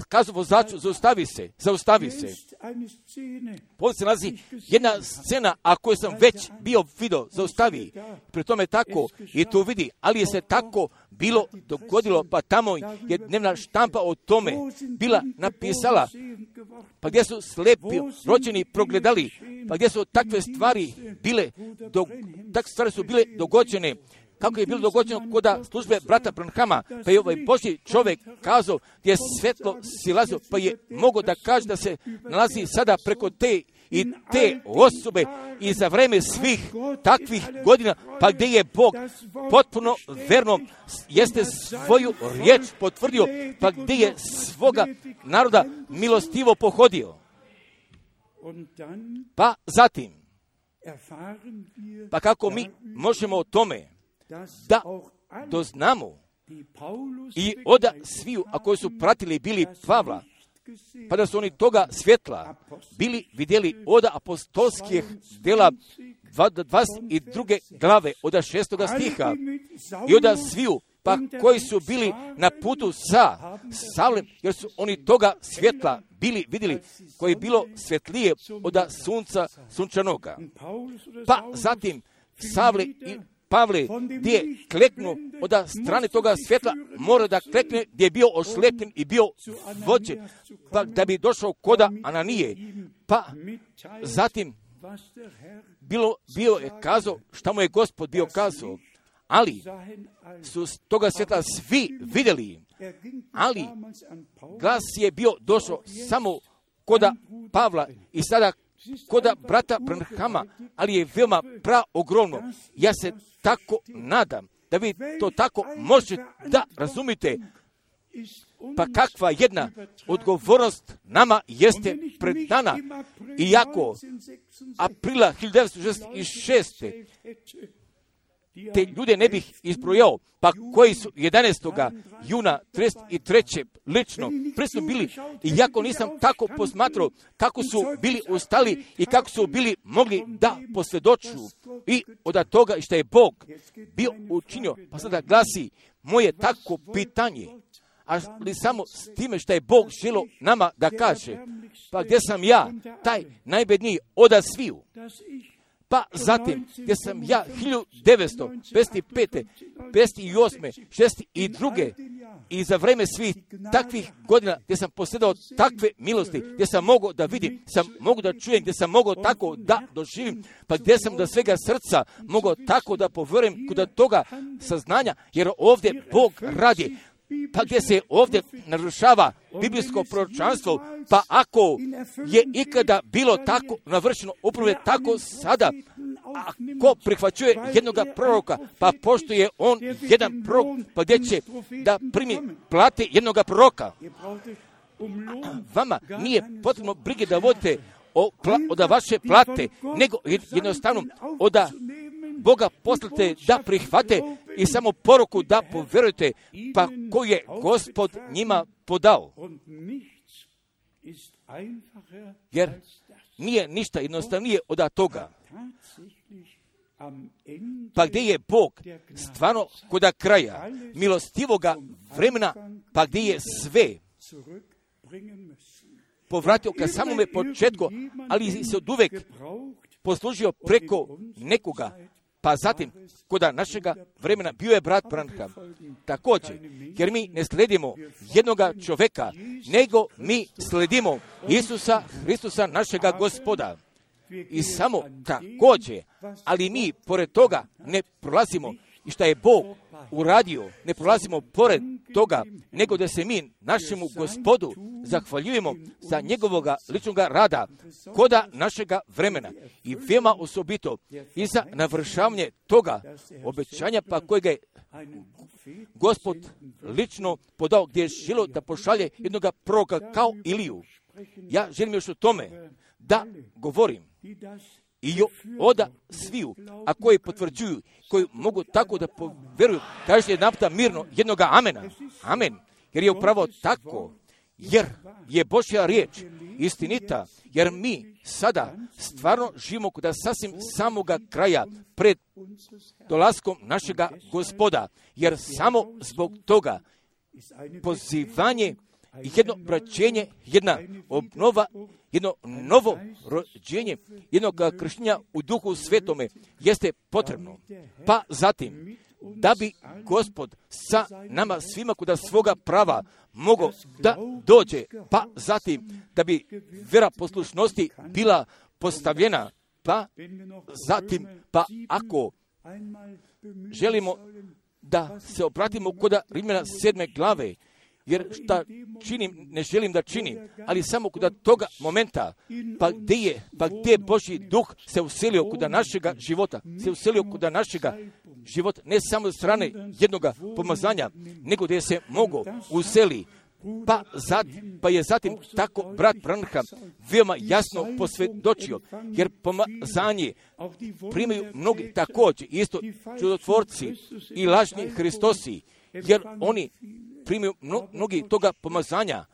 kazao vozaču, zaustavi se, zaustavi se. Ovdje se nalazi jedna scena, a koju sam već bio vidio, zaustavi. Pri tome tako i tu vidi, ali je se tako bilo dogodilo, pa tamo je dnevna štampa o tome bila napisala, pa gdje su slepi rođeni progledali, pa gdje su takve stvari bile, do, takve stvari su bile dogođene, kako je bilo dogođeno koda službe brata Branhama, pa je ovaj Božji čovjek kazao gdje je svetlo silazio, pa je mogao da kaže da se nalazi sada preko te i te osobe i za vreme svih takvih godina, pa gdje je Bog potpuno verno jeste svoju riječ potvrdio, pa gdje je svoga naroda milostivo pohodio. Pa zatim, pa kako mi možemo o tome da doznamo i oda sviju, a koji su pratili bili Pavla, pa da su oni toga svjetla bili vidjeli oda apostolskih djela dvadeset druge glave od šestoga stiha i od sviju, pa koji su bili na putu sa Savlem, jer su oni toga svjetla bili vidjeli, koji je bilo svjetlije od sunca sunčanoga. Pa zatim Savle i Pavle, gdje je kleknuo od strane toga svjetla, mora da klekne gdje je bio oslepljen i bio vođen, pa da bi došao koda Ananije. Pa zatim bilo, bio je kazao šta mu je Gospod bio kazao, ali su toga svjetla svi vidjeli, ali glas je bio došao samo koda Pavla i sada koda brata Branhama, ali je veoma praogromno. Ja se tako nadam da vi to tako možete da razumite. Pa kakva jedna odgovornost nama jeste pred dana. Iako aprila hiljadu devetsto šezdeset šeste te ljude ne bih izbrojao, pa koji su jedanaestog juna trideset treće lično prisutno bili, iako nisam tako posmatrao kako su bili ustali i kako su bili mogli da posvjedoču i od toga što je Bog bio učinio. Pa sada glasi moje tako pitanje, ali samo s time što je Bog želio nama da kaže, pa gdje sam ja, taj najbedniji od sviju. Pa zatim, gdje sam ja hiljadu devetsto pedeset pete, pedeset osme, šezdeset druge i za vreme svih takvih godina gdje sam posjedao takve milosti, gdje sam mogao da vidim, sam mogu da čujem, gdje sam mogao tako da doživim, pa gdje sam da svega srca mogao tako da povjerujem kod toga saznanja, jer ovdje Bog radi. Pa gdje se ovdje narušava biblijsko proročanstvo, pa ako je ikada bilo tako navršeno, upravo je tako sada, ako prihvaćuje jednoga proroka, pa pošto je on jedan prorok, pa gdje će da primi plate jednoga proroka. Vama nije potrebno brige da vodite o, pla, od vaše plate, nego jednostavno od Boga poslate da prihvate i samo poruku da povjerujete, pa koju je Gospod njima podao. Jer nije ništa jednostavnije od toga. Pa gdje je Bog stvarno kod kraja milostivoga vremena, pa gdje je sve povratio ka samome početku, ali se od uvek poslužio preko nekoga. Pa zatim, kod našega vremena bio je brat Branham. Također, jer mi ne sledimo jednoga čovjeka, nego mi sledimo Isusa Hristusa našega Gospoda. I samo također, ali mi pored toga ne prolazimo i što je Bog uradio, ne prolazimo pored toga, nego da se mi našemu Gospodu zahvaljujemo za njegovoga ličnog rada koda našega vremena i veoma osobito i za navršavanje toga obećanja pa kojega je Gospod lično podao, gdje je želio da pošalje jednoga proroka kao Iliju. Ja želim još o tome da govorim i oda sviju, a koji potvrđuju, koji mogu tako da povjeruju, kažete jedan puta mirno jednoga amena. Amen. Jer je upravo tako, jer je Božja riječ istinita, jer mi sada stvarno živimo kod sasvim samoga kraja pred dolaskom našega Gospoda, jer samo zbog toga pozivanje i jedno obraćenje, jedna obnova, jedno novo rođenje, jednog krštenja u Duhu Svetome jeste potrebno. Pa zatim, da bi Gospod sa nama svima kod svoga prava mogao da dođe, pa zatim da bi vera poslušnosti bila postavljena, pa zatim, pa ako želimo da se obratimo kod Rimljana sedme glave, jer šta činim, ne želim da činim, ali samo kod toga momenta, pa gdje je, pa gdje Božji duh se uselio kod našega života, se uselio kod našega života, ne samo od strane jednoga pomazanja, nego gdje se mogo useli. Pa, zad, pa je zatim tako brat Branham veoma jasno posvjedočio, jer pomazanje primaju mnogi također, isto čudotvorci i lažni Hristosi, jer oni primaju mnogi toga pomazanja,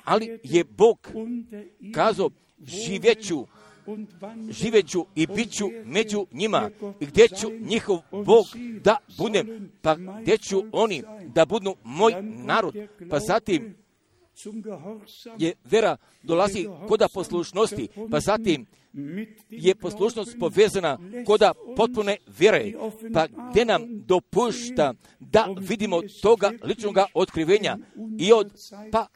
ali je Bog kazao živjeću živeću i bit ću među njima, i gdje ću njihov Bog da budem, pa gdje ću oni da budu moj narod. Pa zatim je vera dolazi koda poslušnosti, pa zatim je poslušnost povezana koda potpune vjere, pa gdje nam dopušta da vidimo toga ličnoga otkrivenja i od, pa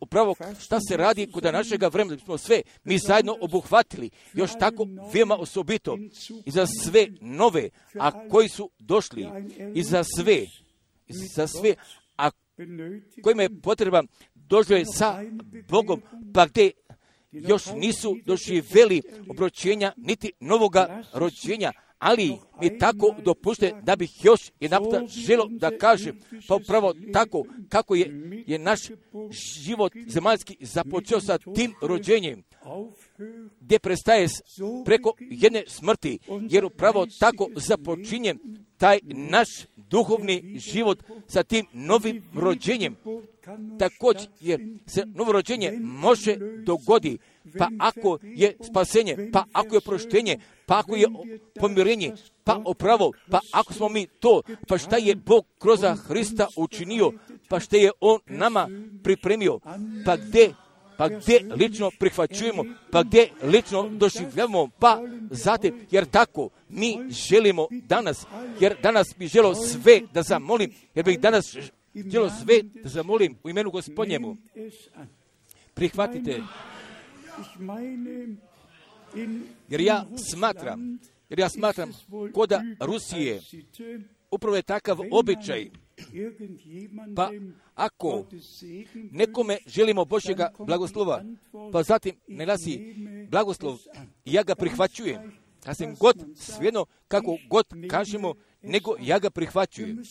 upravo šta se radi kod našega vremena, smo sve mi zajedno obuhvatili, još tako veoma osobito, i za sve nove, a koji su došli, i za sve, za sve, a kojima je potreba došli sa Bogom, pa gdje još nisu doživjeli obročenja niti novoga rođenja, ali mi tako dopušte da bih još jedanputa želio da kažem, pa upravo tako kako je, je naš život zemaljski započeo sa tim rođenjem, gdje prestaje preko jedne smrti, jer upravo tako započinje taj naš duhovni život sa tim novim rođenjem. Također, jer se novo rođenje može dogodi, pa ako je spasenje, pa ako je proštenje, pa ako je pomirenje, pa opravo, pa ako smo mi to, pa šta je Bog kroz Hrista učinio, pa šta je On nama pripremio, pa gdje, pa gdje lično prihvaćujemo, pa gdje lično doživljavamo, pa zatim, jer tako mi želimo danas, jer danas bi želio sve da zamolim, jer bih danas želio sve da zamolim u imenu Gospodnjemu. Prihvatite, jer ja smatram, jer ja smatram koda Rusije upravo je takav običaj, pa ako nekome želimo Božjega blagoslova, pa zatim ne glasi blagoslov, ja ga prihvaćujem. Ja sam god svejedno kako god kažemo, nego ja ga prihvaćujem.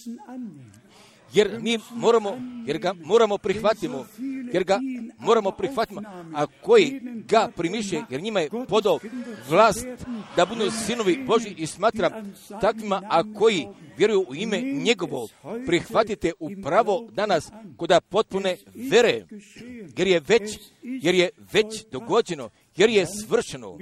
Jer mi moramo, jer ga moramo prihvatimo, jer ga moramo prihvatimo, a koji ga primiše, jer njima je podao vlast da budu sinovi Božji, i smatram takvima, a koji vjeruju u ime njegovo, prihvatite upravo danas koda potpune vere, jer je već, jer je već dogođeno, jer je svršeno.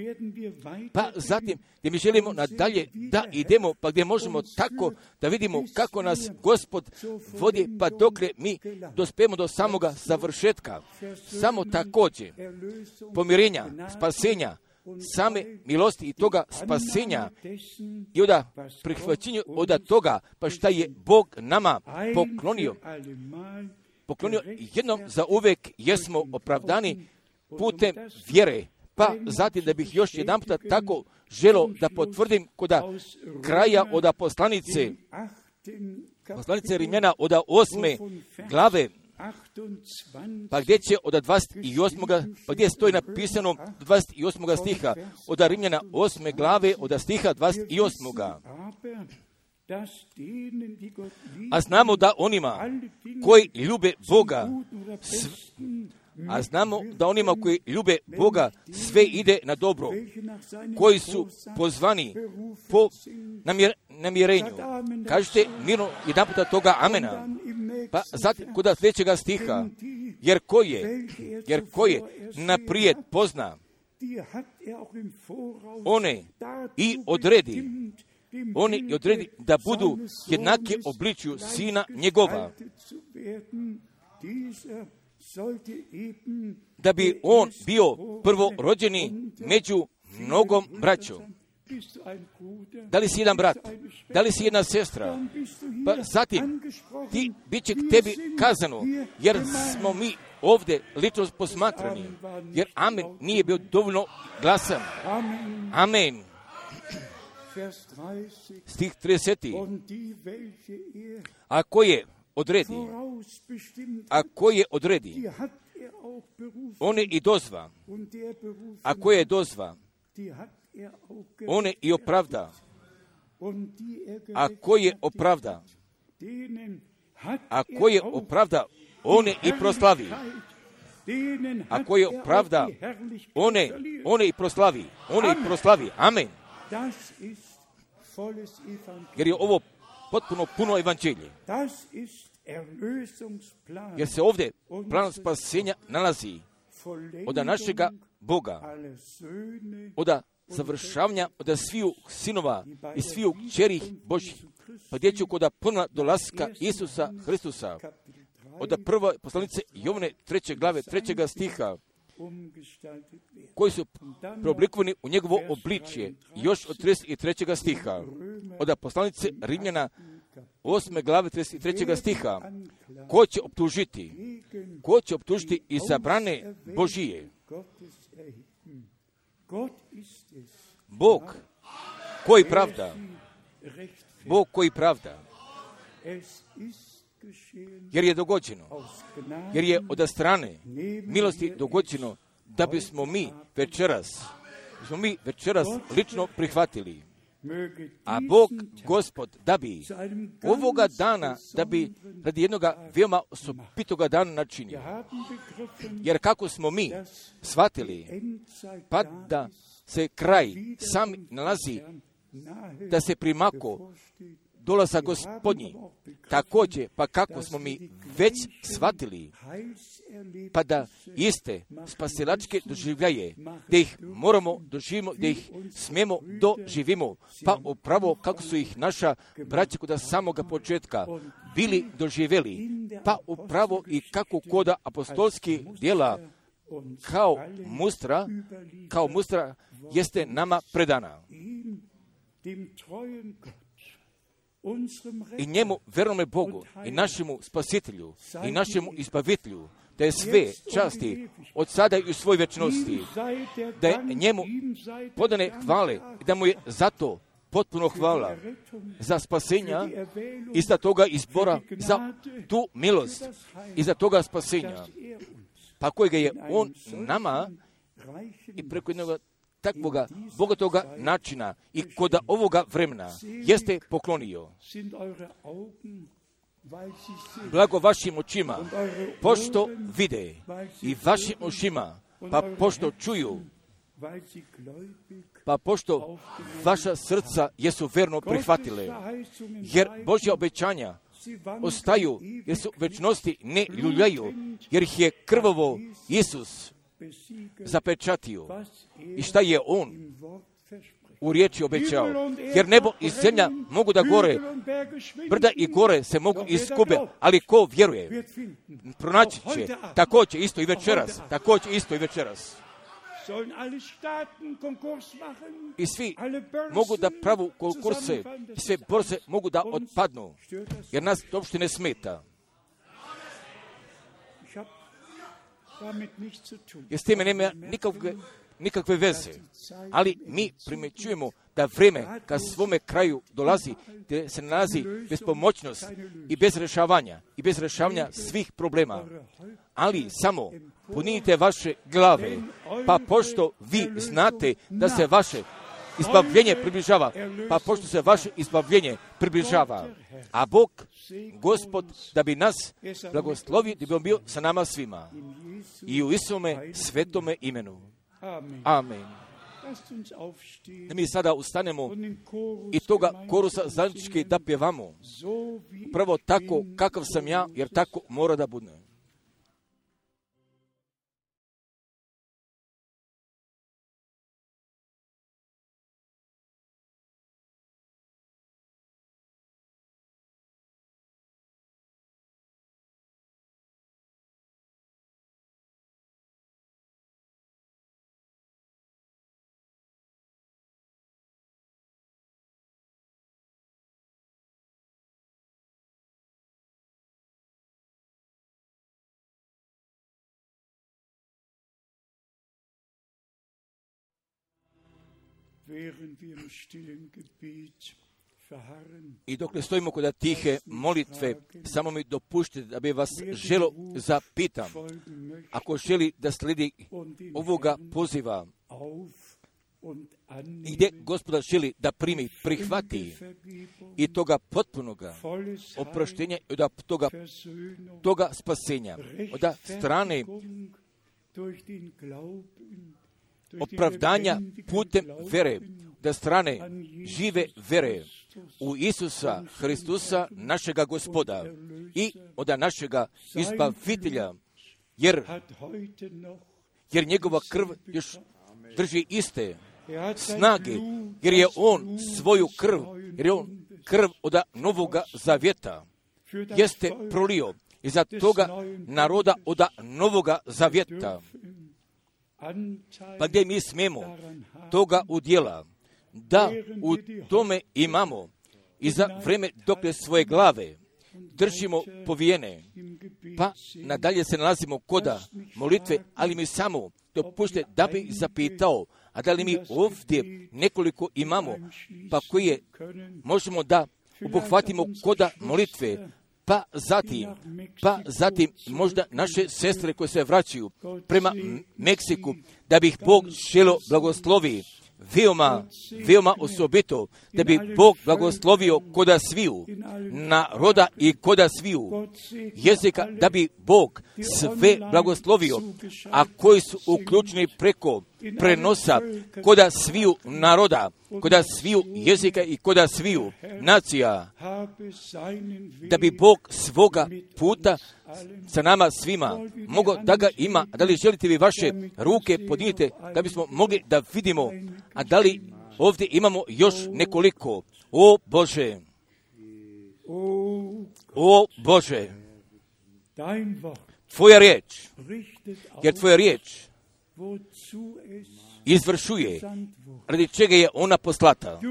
Pa zatim, gdje mi želimo nadalje da idemo, pa gdje možemo tako da vidimo kako nas Gospod vodi, pa dokle mi dospijemo do samoga završetka. Samo također pomirenja, spasenja, same milosti i toga spasenja i od prihvaćenja od toga, pa šta je Bog nama poklonio. Poklonio jednom za uvijek, jesmo opravdani putem vjere. Pa zatim da bih još jedan puta tako želio da potvrdim koda kraja od poslanice, poslanice Rimljana od osme glave, pa gdje će od dvadeset osmog pa gdje stoji napisano dvadeset osmog stiha, od Rimljana osme glave od stiha dvadeset osmog. A znamo da onima koji ljube Boga, a znamo da onima koji ljube Boga sve ide na dobro, koji su pozvani po namjer, namjerenju. Kažete mirno jedan puta toga amena. Pa zatim kod sljedećega stiha, jer ko je, jer ko je naprijed pozna, one i odredi, oni i odredi da budu jednake obličju sina njegova, da bi on bio prvorođeni među mnogom braćom. Da li si jedan brat? Da li si jedna sestra? Pa zatim, ti bit će k tebi kazano, jer smo mi ovdje lično posmatrani, jer amen nije bio dovoljno glasan. Amen. Stih trideseti. A ko je odredi, a ko je odredi, on je i dozva, a ko je dozva, on je i opravda, a ko je opravda, a ko je opravda, on je i proslavi, a ko je opravda, on je, on je i proslavi, on je i proslavi. Amen. Jer je ovo potpuno puno evanđelje. Jer se ovdje plan spasenja nalazi. od našega Boga, od završavanja od sviju sinova i sviju kćeri Božih, pa djeću kod ponovna dolaska Isusa Hristusa, od prve poslanice Jovane treće glave, trećega stiha, koji su preoblikovani u njegovo obličje, još od trideset trećega stiha, od poslanice Rimljana osme glave trideset trećega stiha, ko će optužiti, ko će optužiti izabrane Božije? Bog koji pravda, Bog koji pravda, jer je dogođeno, jer je od strane milosti dogođeno da bismo mi večeras, bismo mi večeras lično prihvatili. A Bog, Gospod, da bi ovoga dana, da bi radi jednoga veoma osobitoga dana načinio. Jer kako smo mi shvatili, pa da se kraj sam nalazi, da se primako dolaza Gospodnji, također, pa kako smo mi već shvatili, pa da iste spasilačke doživljaje, da ih moramo doživimo, da ih smijemo doživimo, pa upravo kako su ih naša braća kod samoga početka bili doživjeli, pa upravo i kako kod apostolskih djela kao mustra, kao mustra jeste nama predana. I njemu, vernome Bogu, i našemu spasitelju, i našemu izbavitelju, da je sve časti od sada i u svoj večnosti, da je njemu podane hvale i da mu je zato potpuno hvala za spasenja i za toga izbora, za tu milost i za toga spasenja, pa kojega je on nama i preko jednog takvoga bogatoga načina i kod ovoga vremena jeste poklonio. Blago vašim očima, pošto vide, i vašim ušima, pa pošto čuju, pa pošto vaša srca jesu verno prihvatile, jer Božja obećanja ostaju, jer su večnosti ne ljuljaju, jer ih je krvavo Isus zapečatio. I šta je on u riječi obećao? Jer nebo i zemlja mogu da gore, brda i gore se mogu iskube, ali ko vjeruje, pronaći će, također isto i večeras, također isto i večeras. I svi mogu da pravu konkurse, i sve borze mogu da otpadnu, jer nas to uopšte ne smeta. Jer s time nema nikakve, nikakve veze. Ali mi primjećujemo da vrijeme ka svome kraju dolazi, gdje se nalazi bespomoćnost i bez rješavanja i bez rješavanja svih problema. Ali samo punite vaše glave, pa pošto vi znate da se vaše izbavljenje približava, pa pošto se vaše izbavljenje približava, a Bog, Gospod, da bi nas blagoslovio, da bi on bio sa nama svima. I u Isome svetome imenu. Amen. Da mi sada ustanemo i toga korusa zajednički da pjevamo. Prvo tako kakav sam ja, jer tako mora da bude. I dokle stojimo kod tihe molitve, samo mi dopuštite da bi vas želo zapitam, ako želi da slijedi ovoga poziva i gdje Gospoda želi da primi, prihvati i toga potpunoga oproštenja i od toga, toga spasenja, od strane opravdanja putem vere, da strane žive vere u Isusa Hristusa, našega Gospoda i od našega izbavitelja, jer jer njegova krv još drži iste snage, jer je on svoju krv, jer je on krv od Novoga Zavjeta, jeste prolio i za toga naroda od Novoga Zavjeta. Pa gdje mi smemo toga udjela, da u tome imamo i za vreme dok svoje glave držimo povijene, pa nadalje se nalazimo koda molitve, ali mi samo dopušte da bi zapitao, a da li mi ovdje nekoliko imamo, pa koje možemo da obuhvatimo koda molitve, pa zatim, pa zatim možda naše sestre koje se vraćaju prema Meksiku, da bi ih Bog šelo blagoslovi, veoma, veoma osobito, da bi Bog blagoslovio koda sviju, naroda i koda sviju jezika, da bi Bog sve blagoslovio, a koji su uključeni preko prenosa koda sviju naroda, koda sviju jezika i koda sviju nacija, da bi Bog svoga puta sa nama svima mogo da ga ima. A da li želite vi vaše ruke podignite da bismo mogli da vidimo, a da li ovdje imamo još nekoliko? O Bože, o Bože, Tvoja riječ, jer Tvoja riječ izvršuje radi čega je ona poslata.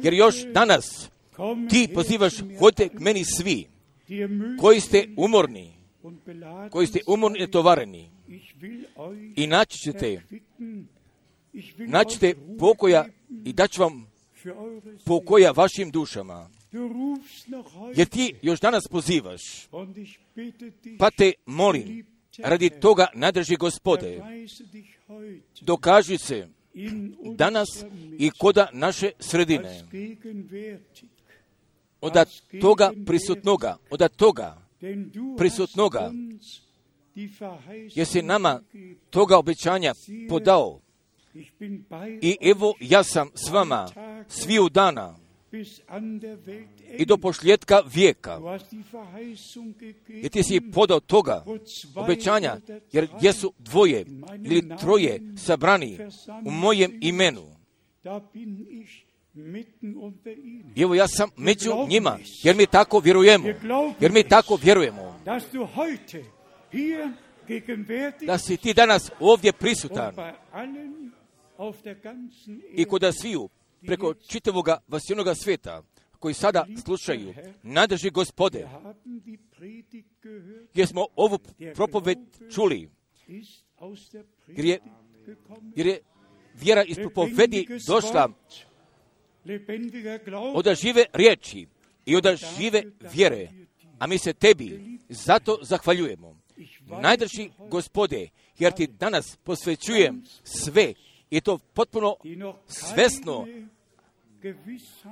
Jer još danas Ti pozivaš, hodite k meni svi koji ste umorni, koji ste umorni i tovareni, i naći ćete, naći ćete pokoja i daću vam pokoja vašim dušama. Jer ti još danas pozivaš, pa te molim, radi toga nadrži Gospode, dokaži se danas i koda naše sredine, od toga prisutnoga, od toga prisutnoga, jer si nama toga obećanja podao. I evo ja sam s vama sviju dana i do pošljetka vijeka. Jer ti si podao toga obećanja, jer gdje su dvoje ili troje sabrani u mojem imenu, i evo ja sam među njima, jer mi tako vjerujemo, jer mi tako vjerujemo, da si ti danas ovdje prisutan i kod sviju preko čitavoga vasijenoga svijeta koji sada slušaju, nadrži Gospode, jer smo ovu propoved čuli, jer je, jer je vjera iz propovedi došla od žive riječi i od žive vjere, a mi se tebi zato zahvaljujemo. Najdrži Gospode, jer ti danas posvećujem sve, i to potpuno svesno,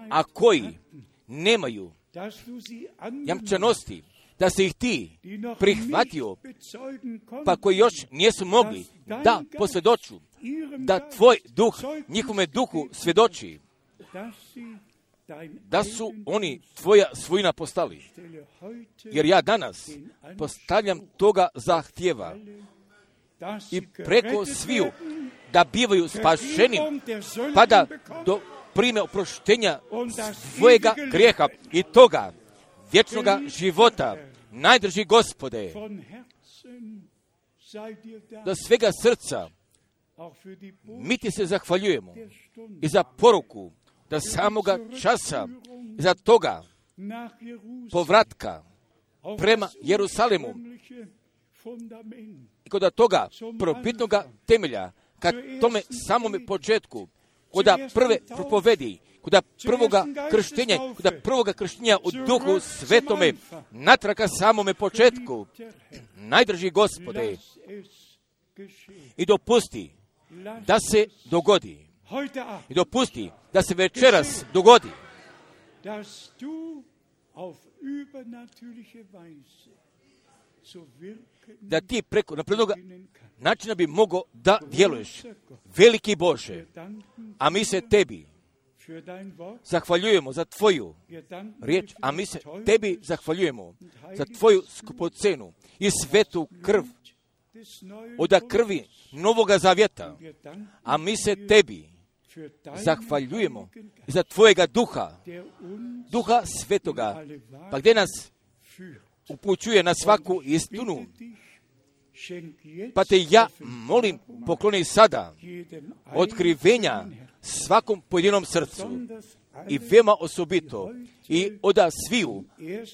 a koji nemaju jamčanosti da se ih ti prihvatio, pa koji još nijesu mogli da posvjedoču, da tvoj duh njihovome duhu svjedoči, da su oni tvoja svojina postali. Jer ja danas postavljam toga zahtjeva i preko sviju da bivaju spašeni, pa da do prime oproštenja svojega grijeha i toga vječnoga života. Najdrži Gospode, da svega srca mi ti se zahvaljujemo i za poruku da samoga časa, za toga povratka prema Jerusalimu i kod toga probitnoga temelja, kad tome samome početku, kod prve propovedi, kod prvoga krštenja, kod prvoga krštenja u Duhu Svetome, natraka samome početku, najdrži Gospode, i dopusti da se dogodi, i dopusti da se večeras dogodi, da ti preko naprednoga načina bi mogao da djeluješ, veliki Bože, a mi se tebi zahvaljujemo za tvoju riječ, a mi se tebi zahvaljujemo za tvoju skupocenu i svetu krv od krvi Novoga Zavjeta. A mi se tebi zahvaljujemo za tvojega duha, duha svetoga, pa gdje nas upućuje na svaku istinu. Pa te ja molim, pokloni sada otkrivenja svakom pojedinom srcu i veoma osobito i od sviju,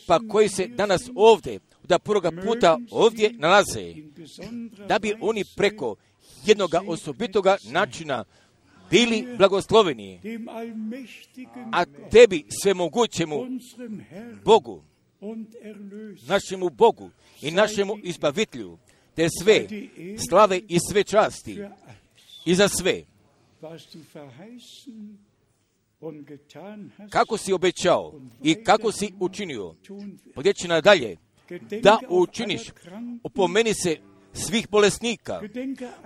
pa koji se danas ovdje, da prvoga puta ovdje nalaze, da bi oni preko jednog osobitoga načina bili blagosloveni, a tebi svemogućemu Bogu, našemu Bogu i našemu izbavitelju, te sve slave i sve časti i za sve. Kako si obećao i kako si učinio, podjeći nadalje, da učiniš, opomeni se svih bolesnika,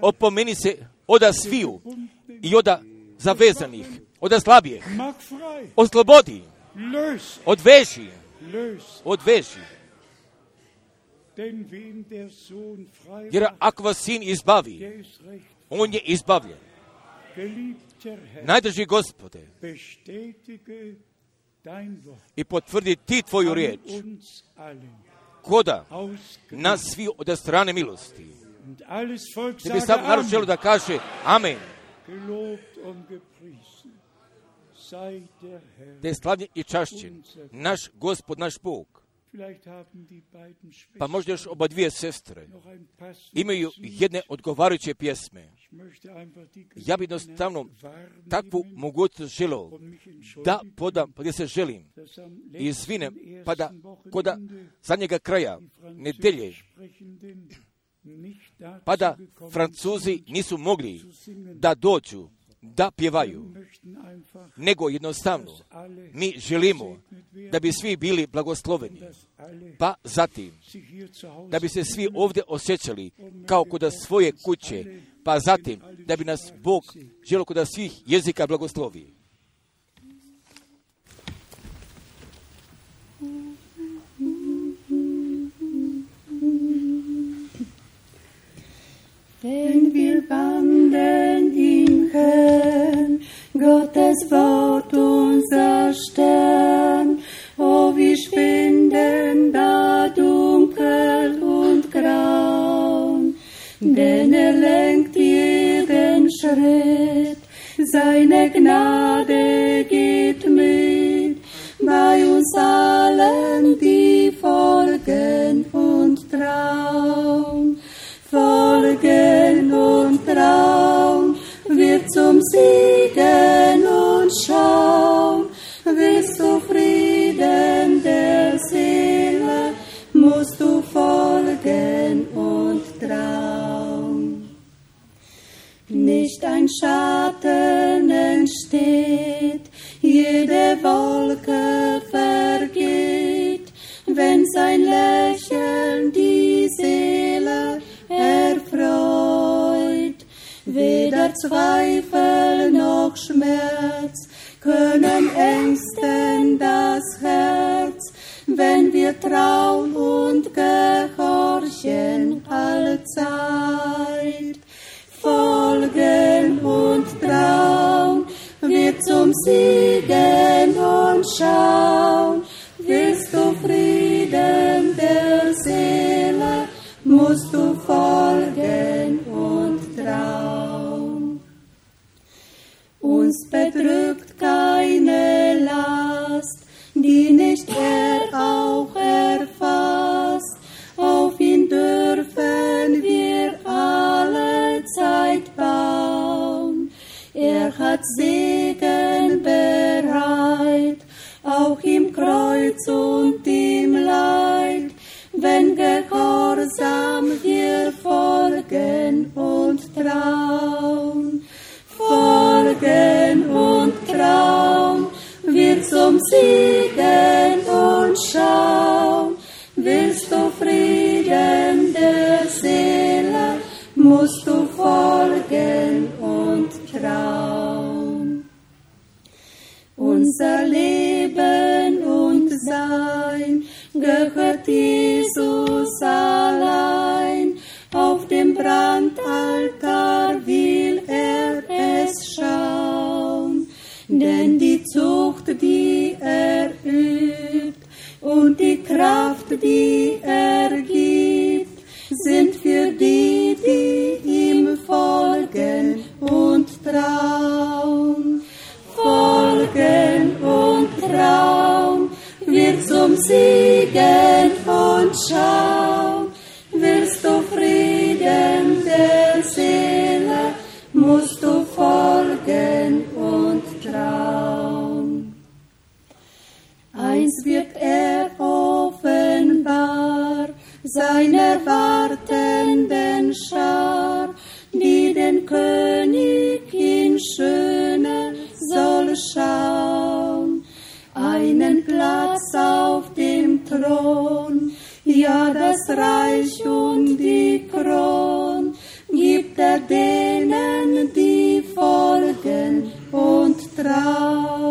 opomeni se oda sviju i oda zavezanih, oda slabijih, oslobodi, odveži, odveži. Jer ako vas sin izbavi, on je izbavljen. Najdrži Gospode, i potvrdi ti tvoju riječ, koda na svi od strane milosti. Da bi sam narod želio da kaže amen. Da je slavljen i čašćen naš Gospod, naš Bog. Pa možda još oba dvije sestre imaju jedne odgovarajuće pjesme. Ja bi jednostavno takvu mogućnost želio da podam, pa gdje se želim i izvinem, pa da koda zadnjega kraja nedelje, pa da Francuzi nisu mogli da dođu, da pjevaju, nego jednostavno mi želimo da bi svi bili blagosloveni, pa zatim da bi se svi ovdje osjećali kao kod svoje kuće, pa zatim da bi nas Bog želio kod svih jezika blagoslovi. Denn wir wandeln im Herrn, Gottes Wort unser Stern. Oh, wir schwinden da dunkel und grau, denn er lenkt jeden Schritt, seine Gnade geht mit, bei uns allen, die folgen und trauen. Folgen und Traum wird zum Siegen und Schaum, willst du Frieden der Seele, musst du folgen und Traum. Nicht ein Schatten entsteht, jede Wolke vergeht, wenn sein Lächeln die Seele erfreut. Weder Zweifel noch Schmerz können ängsten das Herz, wenn wir trauen und gehorchen allzeit. Folgen und Traum wird zum Siegen und Schauen. Willst du Frieden der Seele, musst du folgen und trauen. Uns bedrückt keine Last, die nicht er auch erfasst. Auf ihn dürfen wir alle Zeit bauen. Er hat Segen bereit, auch im Kreuz und im Leid. Wenn gehorsam wir folgen und trauen, folgen und trauen, wir zum Siegen und schauen. Willst du Frieden der Seele, musst du folgen und trauen. Unser Leben und Sein gehört Jesus allein, auf dem die er gibt, sind für die, die ihm folgen und trauen. Folgen und trauen, wird zum Siegen und Schauen. Willst du Frieden der Seele, musst du folgen und trauen. Eins wird er offenbar, seiner wartenden Schar, die den König in Schöne soll schauen. Einen Platz auf dem Thron, ja das Reich und die Kron, gibt er denen, die folgen und trauen.